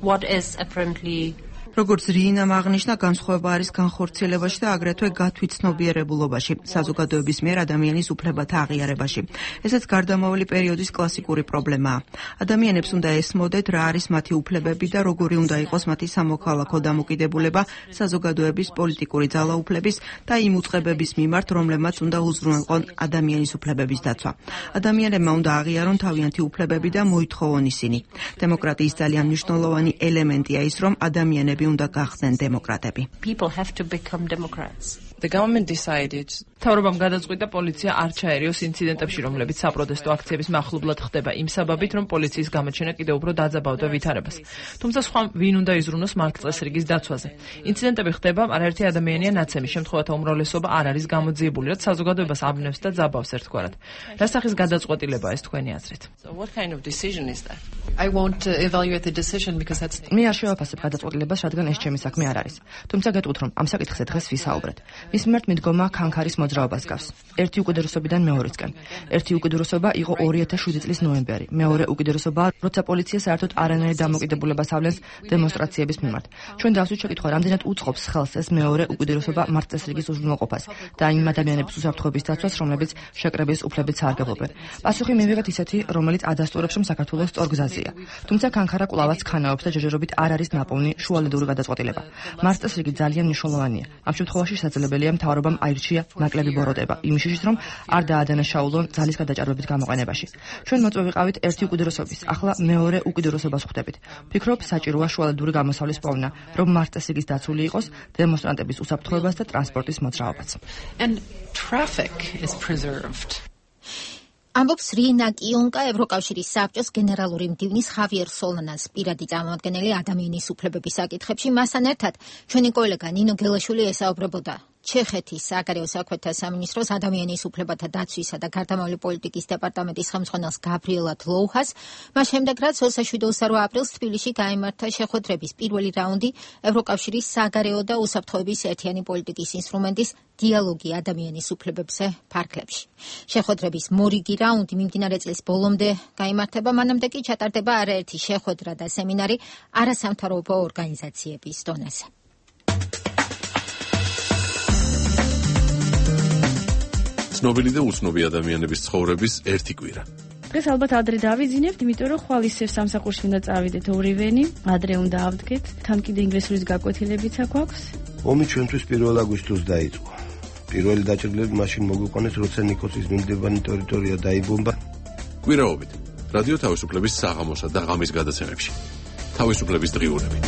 What is apparently როგორც რინამ აღნიშნა, განსხვავება არის განხორციელებაში და აგრეთვე გათვითცნობიერებულობაში, საზოგადოების მიერ ადამიანის უფლებათა აღიარებაში. ესეც გარდამავალი პერიოდის კლასიკური პრობლემაა. ადამიანებს უნდა ესმოდეთ, რა არის მათი უფლებები და როგორი უნდა იყოს მათი სამოქალაქო დამოკიდებულება საზოგადოების პოლიტიკური ძალაუფლების და იმ უწყებების მიმართ, რომლებმაც უნდა უზრუნველყონ ადამიანის უფლებების დაცვა. ადამიანებმა უნდა აღიარონ თავიანთი უფლებები და მოითხოვონ ისინი. დემოკრატიის ძალიან მნიშვნელოვანი ელემენტია ის, რომ ადამიანები უნდა გახდნენ დემოკრატები. People have to become democrats. The government decided. მთავრობამ გადაწყვიტა პოლიცია არ ჩაერიოს ინციდენტებში, რომლებიც საპროტესტო აქციების მახლობლად ხდება იმ საბაბით, რომ პოლიციის გამოჩენა კიდევ უფრო დაძაბავდა ვითარებას. თუმცა სხვა ვინ უნდა იზრუნოს მარკწესრიგის დაცვაზე. ინციდენტები ხდება, არაერთი ადამიანია ნაცემი, შემთხვევათა უმრავლესობა არ არის გამოძიებული, რაც საზოგადოებას აბნევს და ძაბავს ერთგვარად. რა სახის გადაწყვეტილებაა ეს თქვენი აზრით? So what kind of decision is that? I won't uh, evaluate the decision because that's მე არ შევაფასებ გადაწყვეტილებას, რადგან ეს ჩემი საქმე არ არის. თუმცა გეტყვით, რომ ამ საკითხზე დღეს ვისაუბრეთ. მის მიმართ მიდგომა ქანქარის მოძრაობას გავს. ერთი უკიდურესობიდან მეორესკენ. ერთი უკიდურესობა იყო ორი ათას შვიდი წლის ნოემბერი. მეორე უკიდურესობა, როცა პოლიცია საერთოდ არანაირ დამოკიდებულებას ავლენს დემონსტრაციების მიმართ. ჩვენ დავსვით შეკითხვა, რამდენად უწყობს ხელს ეს მეორე უკიდურესობა მართლწესრიგის უზრუნველყოფას და იმ ადამიანების უსაფრთხოების დაცვას, რომლებიც შეკრების უფლებით სარგებლობენ. პასუხი მივიღეთ ისეთი, რომელიც ადასტურებს, რომ საქართველოს სწორ გზაზეა. თუმცა კანქარა კვლავაც ხანაობს და ჯერჯერობით არ არის ნაპოვნი შუალედური გადაწყვეტილება. მართლწესრიგი ძალიან მნიშვნელოვანია. ამ შემთხვევაში შესაძლებელია მთავრობამ აირჩია ნაკლები ბოროტება, იმის შიშით, რომ არ დაადანაშაულონ ძალის გადაჭარბების გამოყენებაში. ჩვენ მოწვევიყავით ერთი უკიდურესობის, ახლა მეორე უკიდურესობას ხვდებით. ვფიქრობ, საჭიროა შუალედური გამოსავლის პოვნა, რომ მართლწესრიგის დაცული იყოს დემონსტრანტების უსაფრთხოებას და ტრანსპორტის მოძრაობაც. And traffic is preserved. ამბობს რინა კიონკა, ევროკავშირის საბჭოს გენერალური მდივნის ხავიერ სოლანას პირადი წარმომადგენელი ადამიანის უფლებების საკითხებში. მასთან ერთად ჩვენი კოლეგა ნინო გელაშვილი ესაუბრებოდა ჩეხეთის საგარეო საქმეთა სამინისტროს ადამიანის უფლებათა დაცვისა და გარდამავალი პოლიტიკის დეპარტამენტის ხელმძღვანელს გაბრიელა დლოუჰას. მას შემდეგ, რაც ოცდაშვიდ აპრილს თბილისში გაიმართა შეხვედრების პირველი რაუნდი ევროკავშირის საგარეო და უსაფრთხოების ერთიანი პოლიტიკის ინსტრუმენტის დიალოგი ადამიანის უფლებებზე ფარგლებში. შეხვედრების მორიგი რაუნდი მიმდინარე წლის ბოლომდე გაიმართება, მანამდე კი ჩატარდება არაერთი შეხვედრა და სემინარი არასამთავრობო ორგანიზაციების დონეზე. ცნობილი და უცნობი ადამიანების ცხოვრების ერთი კვირა. დღეს ალბათ ადრე დავიძინებთ, იმიტომ რომ ხვალ ისევ სამსახურში უნდა წავიდეთ ორივენი, ადრე უნდა ავდგეთ, თან კიდე ინგლისურის გაკვეთილებიც აქვს. ომი ჩვენთვის პირველ აგვისტოს დაიწყო. პირველი დაჭრილები მაშინ მოგვიყვანეს, როცა ნიკოსის მიმდებარე ტერიტორია დაიბომბა. კვირაობით რადიო თავისუფლების საღამოსა და ღამის გადაცემებში. თავისუფლების დღიურები.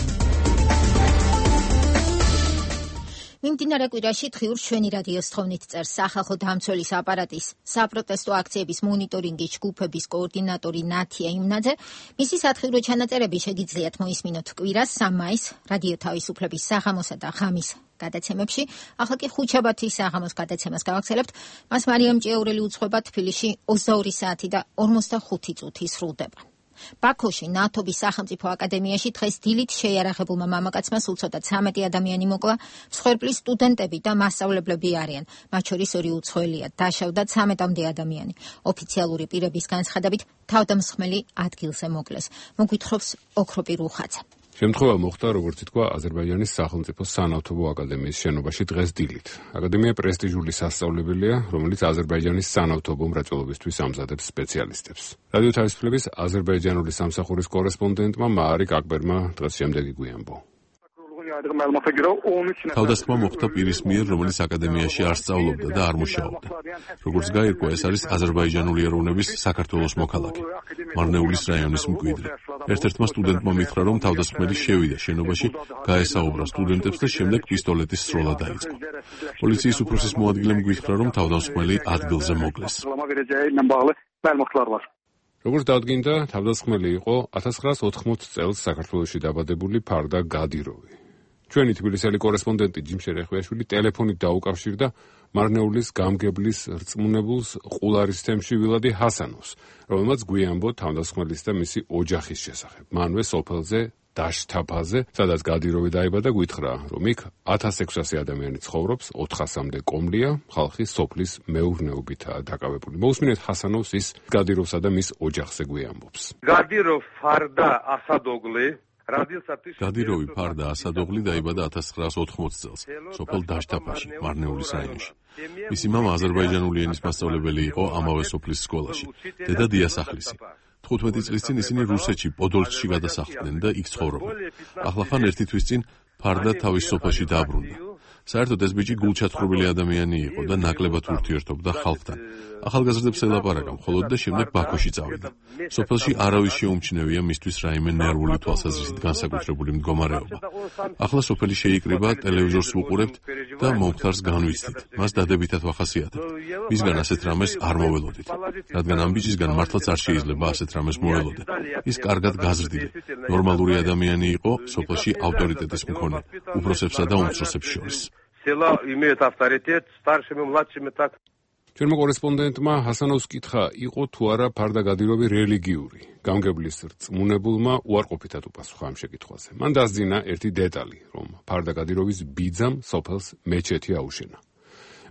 მიმდინარე კვირაში დღიურს ჩვენი რადიოს თხოვნით წერს სახალხო დამცველის აპარატის საპროტესტო აქციების მონიტორინგის ჯგუფების კოორდინატორი ნათია იმნაძე. მისი სათხილრო ჩანაწერები შეგიძლიათ მოისმინოთ კვირას სამ მაისს რადიო თავისუფლების საღამოსა და ღამის გადაცემებში. ახლა კი ხუთშაბათის საღამოს გადაცემას გავაგრძელებთ. მას მარიამ ჭიაურელი უძღვება. თბილისში ოცდაორი საათი და ორმოცდახუთი წუთი სრულდება. ბაქოში ნათობის სახელმწიფო აკადემიაში დღეს დილით შეიარაღებულმა მამაკაცმა სულ ცოტა ცამეტი ადამიანი მოკლა. მსხვერპლის სტუდენტები და მასწავლებლები არიან. მათ შორის ორი უცხოელია. დაშავდა ცამეტამდე ადამიანი. ოფიციალური პირების განცხადებით თავდამსხმელი ადგილზე მოკლეს. მოგვითხრობს ოქროპი რუხაძე. შემთხვევა მოხდა, როგორც ითქვა, აზერბაიჯანის სახელმწიფო სანავთობო აკადემიის შენობაში დღეს დილით. აკადემია პრესტიჟული სასწავლებელია, რომელიც აზერბაიჯანის სანავთობო მრეწველობისთვის ამზადებს სპეციალისტებს. რადიო თავისუფლების აზერბაიჯანული სამსახურის კორესპონდენტმა მაარიკ აკბერმა დღეს შემდეგი გვიამბო. თავდასხმა მოხდა პირის მიერ, რომელიც აკადემიაში არ სწავლობდა და არ მუშაობდა. როგორც გაირკვა, ეს არის აზერბაიჯანული ეროვნების საქართველოს მოქალაქე, მარნეულის რაიონის მკვიდრი. ერთ-ერთმა სტუდენტმა მითხრა, რომ თავდასხმელი შევიდა შენობაში, გაესაუბრა სტუდენტებს და შემდეგ პისტოლეტის სროლა დაიწყო. პოლიციის უფროსის მოადგილემ გითხრა, რომ თავდასხმელი ადგილზე მოკლეს. როგორც დადგინდა, თავდასხმელი იყო ათას ცხრაას ოთხმოცდ წელს საქართველოში დაბადებული ფარდა გადიროვი. ჩვენი თბილისელი კორესპონდენტი ჯიმ შერეხვიაშვილი ტელეფონით დაუკავშირდა მარნეულის გამგებლის რწმუნებულს ყულარის თემში ვილადი ჰასანოვს, რომელმაც გვიამბო თავდასხმელის და მისი ოჯახის შესახებ. მანვე სოფელზე დაშთაფაზე, სადაც გადიროვი დაიბადა, გითხრა, რომ იქ ათას ექვსასი ადამიანი ცხოვრობს, ოთხასამდე კომლია, ხალხი სოფლის მეურნეობითაა დაკავებული. მოусმინეთ ჰასანოვს ის გადიროვსა და მის ოჯახზე გვიამბობს. გადიროვ ფარდა ასადოგლი გადიროვი ფარდა ასადოგლი დაიბადა ათას ცხრაას ოთხმოცდ წელს, სოფელ დაშთაფაში, მარნეულის რაიონში. მისი მამა აზერბაიჯანული ენის მასწავლებელი იყო ამავე სოფლის სკოლაში, დედა დიასახლისი. თხუთმეტი წლის წინ ისინი რუსეთში, პოდოლსკში გადასახლდნენ და იქ ცხოვრობენ. ახლახან ერთი თვის წინ ფარდა თავის სოფელში დაბრუნდა. საერთოდ ეს ბიჭი გულჩათხრობილი ადამიანი იყო და ნაკლებად ურთიერთობდა ხალხთან. ახალგაზრდებს ელაპარაკა მხოლოდ და შემდეგ ბაქოში წავიდა. სოფელში არავის შეუმჩნევია მისთვის რაიმე ნერვული თვალსაზრისით განსაკუთრებული მდგომარეობა. ახლა სოფელი შეიკრიბა, ტელევიზორს ვუყურებთ და მომხდარს განვიცდით. მას დადებითად ვახასიათებთ. მისგან ასეთ რამეს არ მოველოდით. რადგან ამ ბიჭისგან მართლაც არ შეიძლება ასეთ რამეს მოველოდე. ის კარგად გაზრდილი, ნორმალური ადამიანი იყო, სოფელში ავტორიტეტის მქონე, უფროსებსა და უმცროსებს შორის. Села имеют авторитет, старшими, младшими так. ჩვენმა კორესპონდენტმა ჰასანოვს კითხა, იყო თუ არა ფარდა გადიროვი რელიგიური. გამგებლის რწმუნებულმა უარყოფითად უპასუხა ამ შეკითხვაზე. მან დასძინა ერთი დეტალი, რომ ფარდა გადიროვის ბიძამ სოფელს მეჩეთი აუშენა.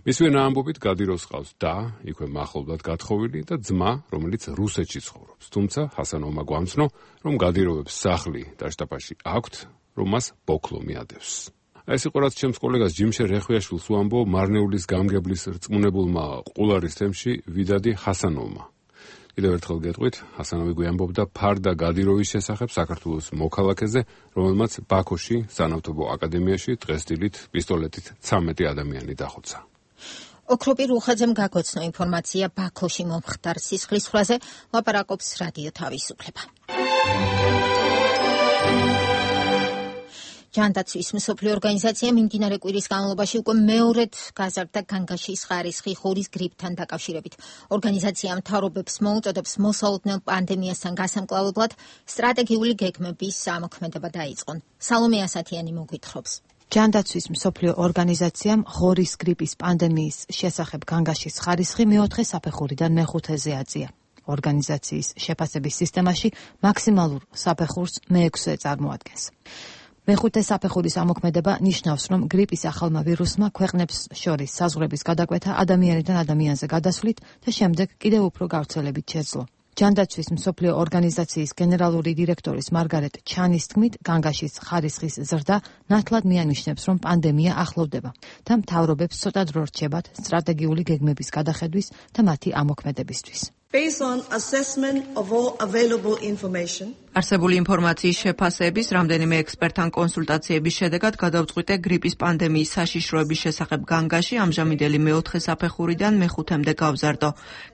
მისვე ამბობით გადიროს ყავს და იქვე მახლობლად გათხოვილი და ძმა, რომელიც რუსეთში ცხოვრობს. თუმცა ჰასანოვმა გვამცნო, რომ გადიროვებს სახლი და შტაბში აქვთ, რომ მას ბოქლო მიადევს. ეს იყო რაც ჩემს კოლეგას ჯიმშე რეხვიაშვილს უამბო მარნეულის გამგებლის რწმუნებულმა ყულარის თემში ვიდადი ჰასანოვმა. კიდევ ერთხელ გეტყვით, ჰასანოვი გვიამბობდა ფარდა გადიროვის შესახებ საქართველოს მოქალაქეზე, რომელმაც ბაქოში, სანავთობო აკადემიაში დღესდილით პისტოლეტით ცამეტი ადამიანი დახოცა. ოქროპი რუხაძემ გაგოცნო ინფორმაცია ბაქოში მომხდარ სისხლის ხრაზე, ლაპარაკობს რადიო თავისუფლება. ჯანდაცვის მსოფლიო ორგანიზაცია მიმდინარე კვირის განმავლობაში უკვე მეორედ გაზარდა განგაშის ხარისხი ღორის გრიპთან დაკავშირებით. ორგანიზაცია მთავრობებს მოუწოდებს მოსალოდნელ პანდემიასთან გასამკლავებლად სტრატეგიული გეგმების ამოქმედება დაიწყონ. სალომე ასათიანი მოგვითხრობს. ჯანდაცვის მსოფლიო ორგანიზაციამ ღორის გრიპის პანდემიის შესახებ განგაშის ხარისხი მეოთხე საფეხურიდან მეხუთეზე აწია. ორგანიზაციის შეფასების სისტემაში მაქსიმალურ საფეხურს მეექვსე წარმოადგენს. მეხუთე საფეხურის ამოქმედება ნიშნავს, რომ გრიპის ახალმა ვირუსმა ქვეყნებს შორის საზღვრების გადაკვეთა ადამიანიდან ადამიანზე გადასვლით და შემდეგ კიდევ უფრო გავრცელებით შეძლო. ჯანდაცვის მსოფლიო ორგანიზაციის გენერალური დირექტორის მარგარეტ ჩანის თქმით, განგაშის ხარისხის ზრდა ნათლად მიანიშნებს, რომ პანდემია ახლოვდება და მთავრობებს ცოტა დრო რჩებათ სტრატეგიული გეგმების გადახედვის და მათი ამოქმედებისთვის. Based on assessment of all available information, არსებული ინფორმაციის შეფასების რამდენიმე ექსპერტთან კონსულტაციების შედეგად გადავწყვიტე გრიპის პანდემიის საშიშროების შესახებ განგაში ამჟამინდელი მეოთხე საფეხურიდან მეხუთემდე გავზარდო.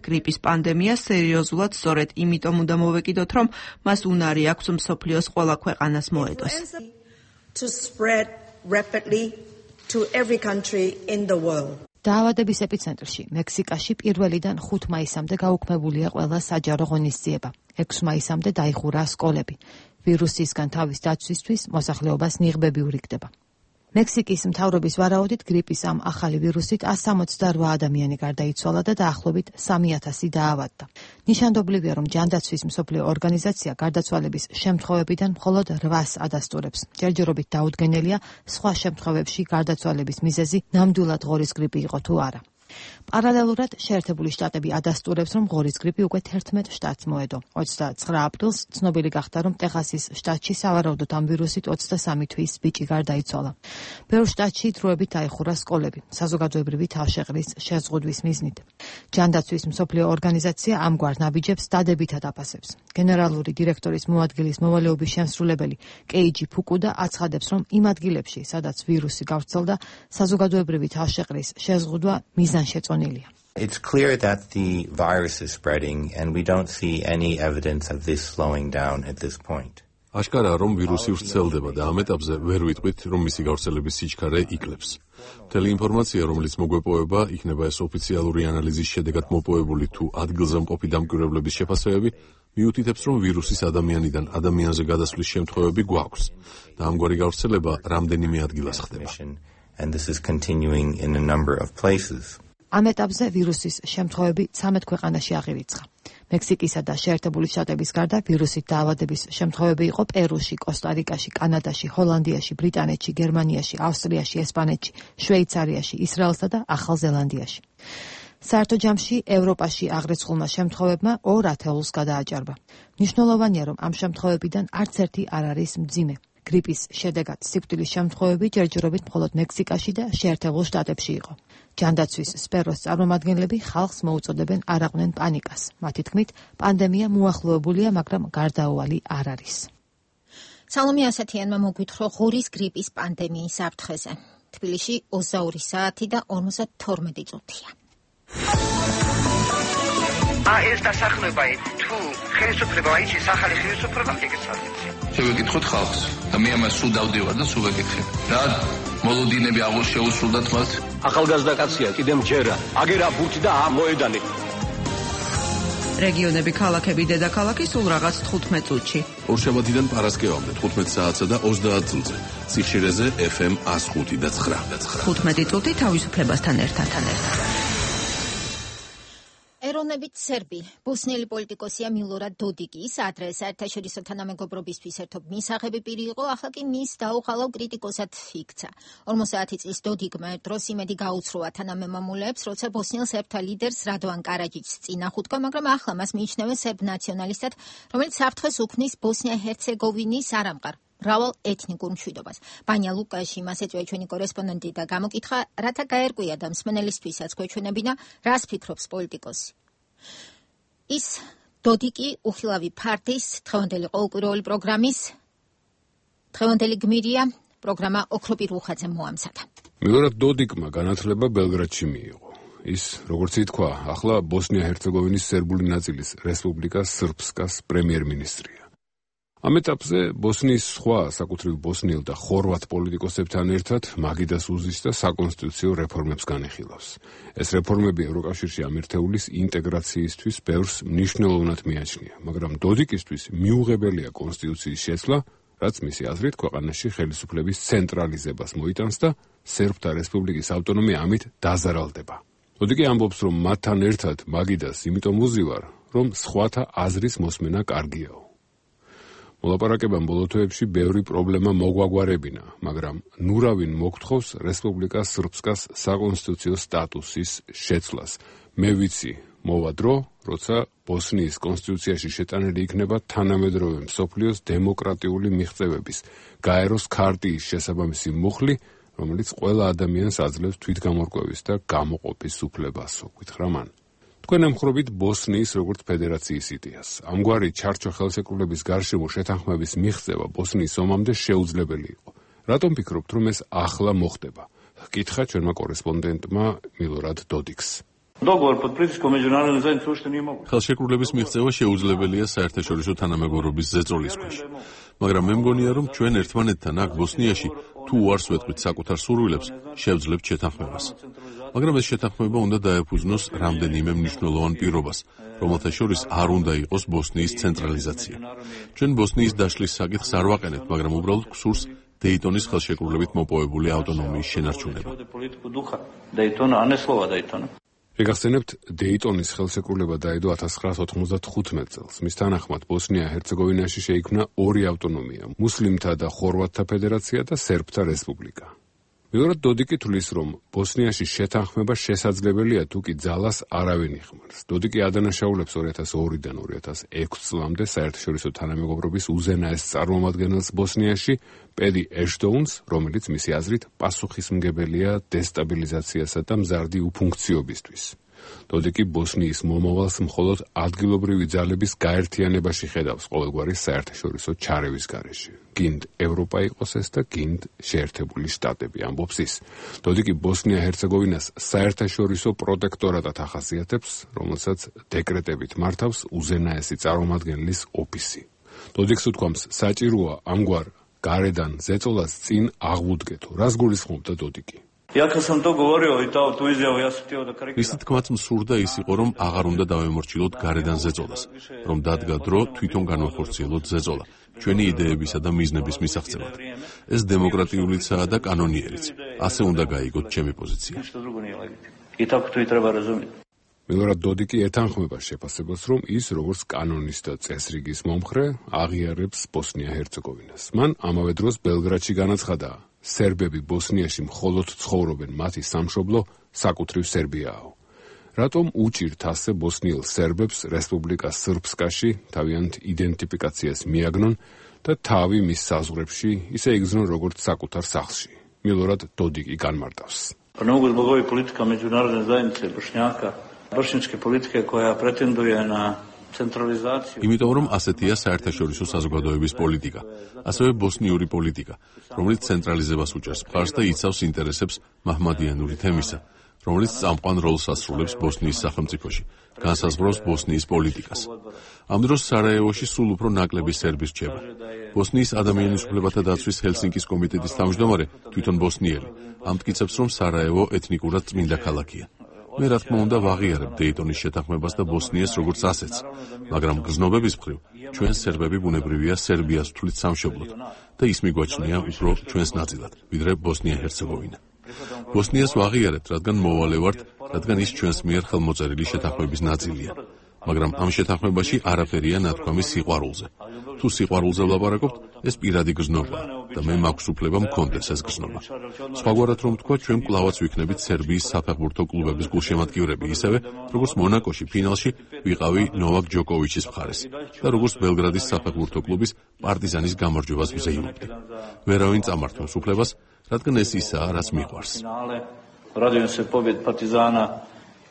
გრიპის პანდემია სერიოზულად სწორედ იმიტომ უნდა მოვეკიდოთ, რომ მას უნარი აქვს მსოფლიოს ყველა ქვეყანას მოედოს. to spread rapidly to every country in the world. დაავადების ეპიცენტრში, მექსიკაში პირველიდან ხუთ მაისამდე გაუქმებულია ყველა საჯარო ღონისძიება. ექვსი მაისამდე დაიხურა სკოლები. ვირუსისგან თავის დაცვისთვის მოსახლეობას ნიღბები ურიგდება. მექსიკის მთავრობის ვარაუდით გრიპის ამ ახალი ვირუსით ას სამოცდარვა ადამიანი გარდაიცვალა და დაახლოებით სამი ათასი დაავადდა. ნიშანდობლივია, რომ ჯანდაცვის მსოფლიო ორგანიზაცია გარდაცვალების შემთხვევებიდან მხოლოდ რვას ადასტურებს. ჯერჯერობით დაუდგენელია სხვა შემთხვევებში გარდაცვალების მიზეზი ნამდვილად ღორის გრიპი იყო თუ არა. პარალელურად შეერთებული შტატები ადასტურებს, რომ ღორის გრიპი უკვე თერთმეტ შტატს მოედო. ოცდაცხრა აპრილს ცნობილი გახდა, რომ ტეხასის შტატში სავარაუდოდ ამ ვირუსით ოცდასამი თვის ბიჭი გარდაიცვალა. ბევრ შტატში დროებით დაიხურა სკოლები, საზოგადოებრივი თავშეყრის შეზღუდვის მიზნით. ჯანდაცვის მსოფლიო ორგანიზაცია ამგვარ ნაბიჯებს დადებითად აფასებს. გენერალური დირექტორის მოადგილის მოვალეობის შემსრულებელი კეიჯი ფუკუდა აცხადებს, რომ იმ ადგილებში, სადაც ვირუსი გავრცელდა, საზოგადოებრივი თავშეყრის შეზღუდვა მიზანშეწონილია. It's clear that the virus is spreading and we don't see any evidence of this slowing down at this point. აშკარაა, რომ ვირუსი ვრცელდება და ამ ეტაპზე ვერ ვიტყვით, რომ მისი გავრცელების სიჩქარე იკლებს. მთელი ინფორმაცია, რომელიც მოგვეპოვება, იქნება ეს ოფიციალური ანალიზის შედეგად მოპოვებული თუ ადგილზე მყოფი დამკვირვებლების შეფასებები, მიუთითებს, რომ ვირუსის ადამიანიდან ადამიანზე გადასვლის შემთხვევები გვაქვს და ამგვარი გავრცელება რამდენიმე ადგილას ხდება. And this is continuing in a number of places. ამ ეტაპზე ვირუსის შემთხვევები ცამეტ ქვეყანაში აღირიცხა. მექსიკისა და შეერთებული შტატების გარდა ვირუსით დაავადების შემთხვევები იყო პერუში, კოსტა-რიკაში, კანადაში, ჰოლანდიაში, ბრიტანეთში, გერმანიაში, ავსტრიაში, ესპანეთში, შვეიცარიაში, ისრაელსა და ახალ ზელანდიაში. საერთო ჯამში ევროპაში აღრიცხულმა შემთხვევებმა ორ ათეულს გადააჭარბა. მნიშვნელოვანია, რომ ამ შემთხვევებიდან არც ერთი არ არის მძიმე. გრიპის შედეგად სიკვდილის შემთხვევები ჯერჯერობით მხოლოდ მექსიკაში და შეერთებულ შტატებში იყო. ჯანდაცვის სფეროს წარმომადგენლები ხალხს მოუწოდებენ არ აყვნენ პანიკას. მათი თქმით, პანდემია მოახლოებულია, მაგრამ გარდაუვალი არ არის. სალომე ასათიანმა მოგვითხრა ღორის გრიპის პანდემიის საფრთხეზე. თბილისში ოცდაორი საათი და ორმოცდათორმეტი წუთია. აა ეს დასახლება თუ ხელისუფლება აიჩის ახალი ხელისუფლება ეგეცადეთ. შევეკითხოთ ხალხს და მე ამას სულ დავდივარ და სულ ვეკითხებ. რა მოლოდინები აღარ შეუსრულდათ მას? ახალგაზრდა კაცია, კიდე მჯერა. აგერა ბურთი და ამოედანი. რეგიონები, ქალაქები, დედაქალაქი სულ რაღაც თხუთმეტ წუთში. ორშაბათიდან პარასკევამდე თხუთმეტ საათსა და ოცდაათ წუთზე. სიხშირეზე ეფ ემ ას ხუთი და ცხრა. თხუთმეტი წუთი თავისუფლებასთან ერთად. ეროვნულ მოგზაურობით სერბი, ბოსნიელი პოლიტიკოსია მილორად დოდიკის ადრე საერთაშორისო თანამეგობრობისთვის ერთობ მისაღები პირი იყო, ახლა კი მის დაუხალავ კრიტიკოსად იქცა. ორმოცდაათი წლის დოდიკმა დროს იმედი გაუცროა თანამემამულეებს, როცა ბოსნიელ სერბთა ლიდერს რადოვან კარაჯიჩს წინახუთქვა, მაგრამ ახლა მას მიიჩნევენ სერბ ნაციონალისტად, რომელიც საფრთხეს უქმნის ბოსნია-ჰერცეგოვინის არამყარ მრავალ ეთნიკურ მშვიდობას. ბანია ლუკაში მას ეწვია ჩვენი კორესპონდენტი და გამოკითხა, რათა გაერკვია და მსმენელისთვისაც გვეჩვენებინა, რას ფიქრობს პოლიტიკოსი. ის დოდიკი უხილავი ფარდის დღევანდელი ყოველკვირეული პროგრამის დღევანდელი გმირია, პროგრამა ოქროპირ უხაძე მოამზადა. მილორად დოდიკმა განათლება ბელგრადში მიიღო. ის, როგორც ითქვა, ახლა ბოსნია-ჰერცეგოვინის სერბული ნაწილის რესპუბლიკა სრბსკას პრემიერ-მინისტრია. ამ ეტაპზე ბოსნიის სხვა საკუთრივ ბოსნიელ და ხორვატ პოლიტიკოსებთან ერთად მაგიდას უზის და საკონსტიტუციო რეფორმებს განეხილავს. ეს რეფორმები ევროკავშირში ამერთეულის ინტეგრაციისთვის ბევრს მნიშვნელოვნად მიაჩნია, მაგრამ დოდიკისთვის მიუღებელია კონსტიტუციის შეცვლა, რაც მისი აზრით ქვეყანაში ხელისუფლების ცენტრალიზებას მოიტანს და სერბთა რესპუბლიკის ავტონომია ამით დაზარალდება. დოდიკი ამბობს, რომ მათთან ერთად მაგიდას იმიტომ უზივარ, რომ სხვათა აზრის მოსმენა კარგიაო. მოლაპარაკებამ ბოლო თვეებში ბევრი პრობლემა მოგვაგვარებინა, მაგრამ ნურავინ მოგთხოვს რესპუბლიკა სრბსკას საკონსტიტუციო სტატუსის შეცვლას. მე ვიცი, მოვა დრო, როცა ბოსნიის კონსტიტუციაში შეტანილი იქნება თანამედროვე მსოფლიოს დემოკრატიული მიღწევების, გაეროს ქარტიის შესაბამისი მუხლი, რომელიც ყველა ადამიანს აძლევს თვითგამორკვევის და გამოყოფის უფლებასო, გითხრა მან. თქვენ ემხრობით ბოსნიის როგორც ფედერაციის იდეას. ამგვარი ჩარჩო ხელშეკრულების გარშემო შეთანხმების მიღწევა ბოსნიის ომამდე შეუძლებელი იყო. რატომ ფიქრობთ, რომ ეს ახლა მოხდება? ჰკითხა ჩვენმა კორესპონდენტმა მილორად დოდიკს. ხელშეკრულების მიღწევა შეუძლებელია საერთაშორისო თანამეგობრობის ზეწოლის ქვეშ. მაგრამ მე მგონია, რომ ჩვენ ერთმანეთთან აქ ბოსნიაში თუ უარს ვეთქვით საკუთარ სურვილებს, შევძლებთ შეთანხმებას. მაგრამ ეს შეთანხმება უნდა დაეფუძნოს რამდენიმე მნიშვნელოვან პირობას, რომელთა შორის არ უნდა იყოს ბოსნიის ცენტრალიზაცია. ჩვენ ბოსნიის დაშლის საკითხს არ ვაყენებთ, მაგრამ უბრალოდ გსურს დეიტონის ხელშეკრულებით მოპოვებული ავტონომიის შენარჩუნება. შეგახსენებთ, დეიტონის ხელშეკრულება დაედო ათას ცხრაას ოთხმოცდათხუთმეტ წელს. მის თანახმად ბოსნია-ჰერცეგოვინაში შეიქმნა ორი ავტონომია: მუსლიმთა და ხორვატთა ფედერაცია და სერბთა რესპუბლიკა. მილორად დოდიკი თვლის, რომ ბოსნიაში შეთანხმება შესაძლებელია, თუ კი ძალას არავინ იხმარს. დოდიკი ადანაშაულებს ორი ათას ორიდან ორი ათას ექვსი წლამდე საერთაშორისო თანამეგობრობის უზენაეს წარმომადგენელს ბოსნიაში, პედი ეშტოუნს, რომელიც მისი აზრით პასუხისმგებელია დესტაბილიზაციასა და მზარდი უფუნქციობისთვის. დოდიკი ბოსნიის მომავალს მხოლოდ ადგილობრივი ძალების გაერთიანებაში ხედავს ყოველგვარი საერთაშორისო ჩარევის გარეშე. გინდ ევროპა იყოს ეს და გინდ შეერთებული შტატები, ამბობს ის. დოდიკი ბოსნია-ჰერცეგოვინას საერთაშორისო პროტექტორატად ახასიათებს, რომელსაც დეკრეტებით მართავს უზენაესი წარმომადგენლის ოფისი. დოდიკს უთქვამს, საჭიროა ამგვარ გარედან ზეწოლას წინ აღუდგეთო. რას გულისხმობდა დოდიკი? მისი თქმაც მსურდა ის იყო, რომ აღარ უნდა დავემორჩილოთ გარედან ზეწოლას, რომ დადგა დრო თვითონ განვახორციელოთ ზეწოლა, ჩვენი იდეებისა და მიზნების მისაღწევად. ეს დემოკრატიულიცაა და კანონიერიც. ასე უნდა გაიგოთ ჩემი პოზიცია. მილორად დოდიკი ეთანხმება შეფასებას, რომ ის როგორც კანონის და წესრიგის მომხრე აღიარებს ბოსნია-ჰერცეგოვინას. მან ამავე დროს ბელგრადში განაცხადა, სერბები ბოსნიაში მხოლოდ ცხოვრობენ, მათი სამშობლო საკუთრივ სერბიაო. რატომ უჭირთ ასე ბოსნიელ სერბებს რესპუბლიკა სრბსკაში თავიანთ იდენტიფიკაციას მიაგნონ და თავი მის საზღვრებში ისე იგრძნონ როგორც საკუთარ სახლში? მილორად დოდიკი განმარტავს. Bošnjačke politike koja pretenduje na centralizaciju. იმიტომ რომ ასეთია საერთაშორისო საზოგადოების პოლიტიკა, ასევე ბოსნიური პოლიტიკა, რომელიც ცენტრალიზებას უჭერს მხარს და იცავს ინტერესებს მაჰმადიანური თემისა, რომელიც წამყვან როლს ასრულებს ბოსნიის სახელმწიფოში, განსაზღვრავს ბოსნიის პოლიტიკას. ამ დროს სარაევოში სულ უფრო ნაკლები სერბი რჩება. ბოსნიის ადამიანის უფლებათა დაცვის ჰელსინკის კომიტეტის თავმჯდომარე თვითონ ბოსნიელი ამტკიცებს, რომ სარაევო ეთნიკურად წმინდა ქალაქია. მე რა თქმა უნდა ვაღიარებ დეიტონის შეთანხმებას და ბოსნიას როგორც ასეთს, მაგრამ გრძნობების მხრივ ჩვენ სერბები ბუნებრივია სერბიას ვთვლით სამშობლოდ და ის მიგვაჩნია უფრო ჩვენს ნაწილად, ვიდრე ბოსნია-ჰერცეგოვინა. ბოსნიას ვაღიარებთ, რადგან მოვალე ვართ, რადგან ის ჩვენს მიერ ხელმოწერილი შეთანხმების ნაწილია. მაგრამ ამ შეთანხმებაში არაფერია ნათქვამი სიყვარულზე. თუ სიყვარულზე ვლაპარაკობთ, ეს პირადი გრძნობა და მე მაქვს უფლება მქონდეს ეს გრძნობა. სხვაგვარად რომ თქვა, ჩვენ კვლავაც ვიქნებით სერბიის საფეხბურთო კლუბების გულშემატკივრები, ისევე როგორც მონაკოში ფინალში ვიყავი ნოვაკ ჯოკოვიჩის მხარეს და როგორც ბელგრადის საფეხბურთო კლუბის პარტიზანის გამარჯვებას ვზეიმობდი. ვერავინ წამართვებს უფლებას, რადგან ეს ისაა, რაც მიყვარს. Radujem se pobjedi Partizana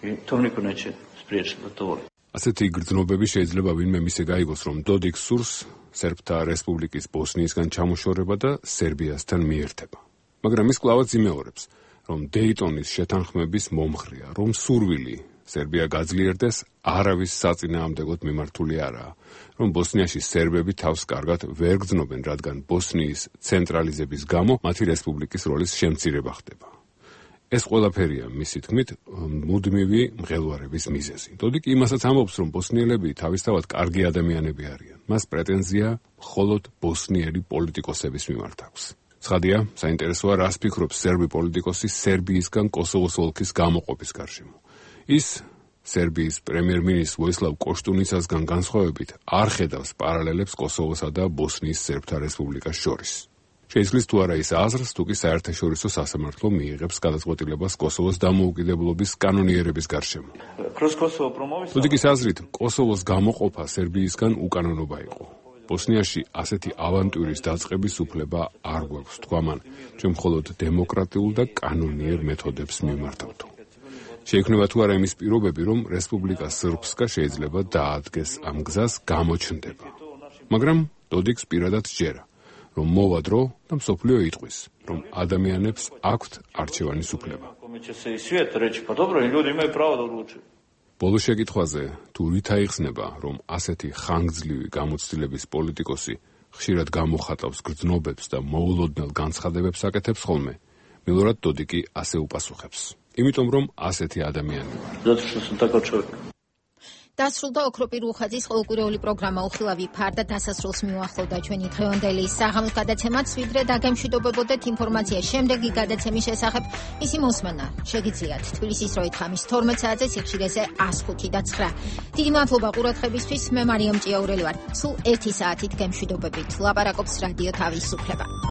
i to niko neće spriječiti da to voli. ასეთი გრძნობები შეიძლება ვინმე მისე გაიგოს, რომ დოდიკს სურს სერბთა რესპუბლიკის ბოსნიისგან ჩამოშორება და სერბიასთან მიერთება. მაგრამ ის კვლავაც იმეორებს, რომ დეიტონის შეთანხმების მომხრეა, რომ სურვილი სერბია გაძლიერდეს, არავის საწინააღმდეგოდ მიმართული არაა, რომ ბოსნიაში სერბები თავს კარგად ვერ გრძნობენ, რადგან ბოსნიის ცენტრალიზების გამო მათი რესპუბლიკის როლის შემცირება ხდება. ეს ყველაფერია მისი თქმით მუდმივი მღელვარების მიზეზი. დოდიკი იმასაც ამბობს, რომ ბოსნიელები თავისთავად კარგი ადამიანები არიან. მას პრეტენზია მხოლოდ ბოსნიელი პოლიტიკოსების მიმართ აქვს. ცხადია, საინტერესოა, რას ფიქრობს სერბი პოლიტიკოსი სერბიისგან კოსოვოს ოლქის გამოყოფის გარშემო. ის სერბიის პრემიერ-მინისტრ ვოისლავ კოშტუნიცასგან განსხვავებით არ ხედავს პარალელებს კოსოვოსა და ბოსნიის სერბთა რესპუბლიკას შორის. შეიცვლის თუ არა ის აზრს, თუ კი საერთაშორისო სასამართლო მიიღებს გადაწყვეტილებას კოსოვოს დამოუკიდებლობის კანონიერების გარშემო. დოდიკის აზრით, კოსოვოს გამოყოფა სერბიისგან უკანონობა იყო. ბოსნიაში ასეთი ავანტურის დაწყების უფლება არ გვაქვს, თქვა მან, ჩვენ მხოლოდ დემოკრატიულ და კანონიერ მეთოდებს მიმართავთ. შეიქმნება თუ არა იმის პირობები, რომ რესპუბლიკა სრბსკა შეიძლება დაადგეს ამ გზას გამოჩნდება. მაგრამ დოდიკს პირადად სჯერა, რომ მოვა დრო და მსოფლიო იტყვის, რომ ადამიანებს აქვთ არჩევანის უფლება. ბოლო შეკითხვაზე, თუ რით აიხსნება, რომ ასეთი ხანგრძლივი გამოცდილების პოლიტიკოსი ხშირად გამოხატავს გრძნობებს და მოულოდნელ განცხადებებს აკეთებს ხოლმე, მილორად დოდიკი ასე უპასუხებს. იმიტომ რომ ასეთი ადამიანი ვარ. დასრულდა ოქროპირ უხაძის ყოველკვირეული პროგრამა უხილავი ფარ და დასასრულს მიუახლოვდა ჩვენი დღევანდელი საღამოს გადაცემაც, ვიდრე დაგემშვიდობებოდეთ ინფორმაცია შემდეგი გადაცემის შესახებ, მისი მოსმენა შეგიძლიათ თბილისის დროით ხამის თორმეტ საათზე სიხშირეზე ას ხუთი და ცხრა. დიდი მადლობა ყურადღებისთვის, მე მარიამ ჭიაურელი ვარ. სულ ერთი საათით გემშვიდობებით. ლაპარაკობს რადიო თავისუფლება.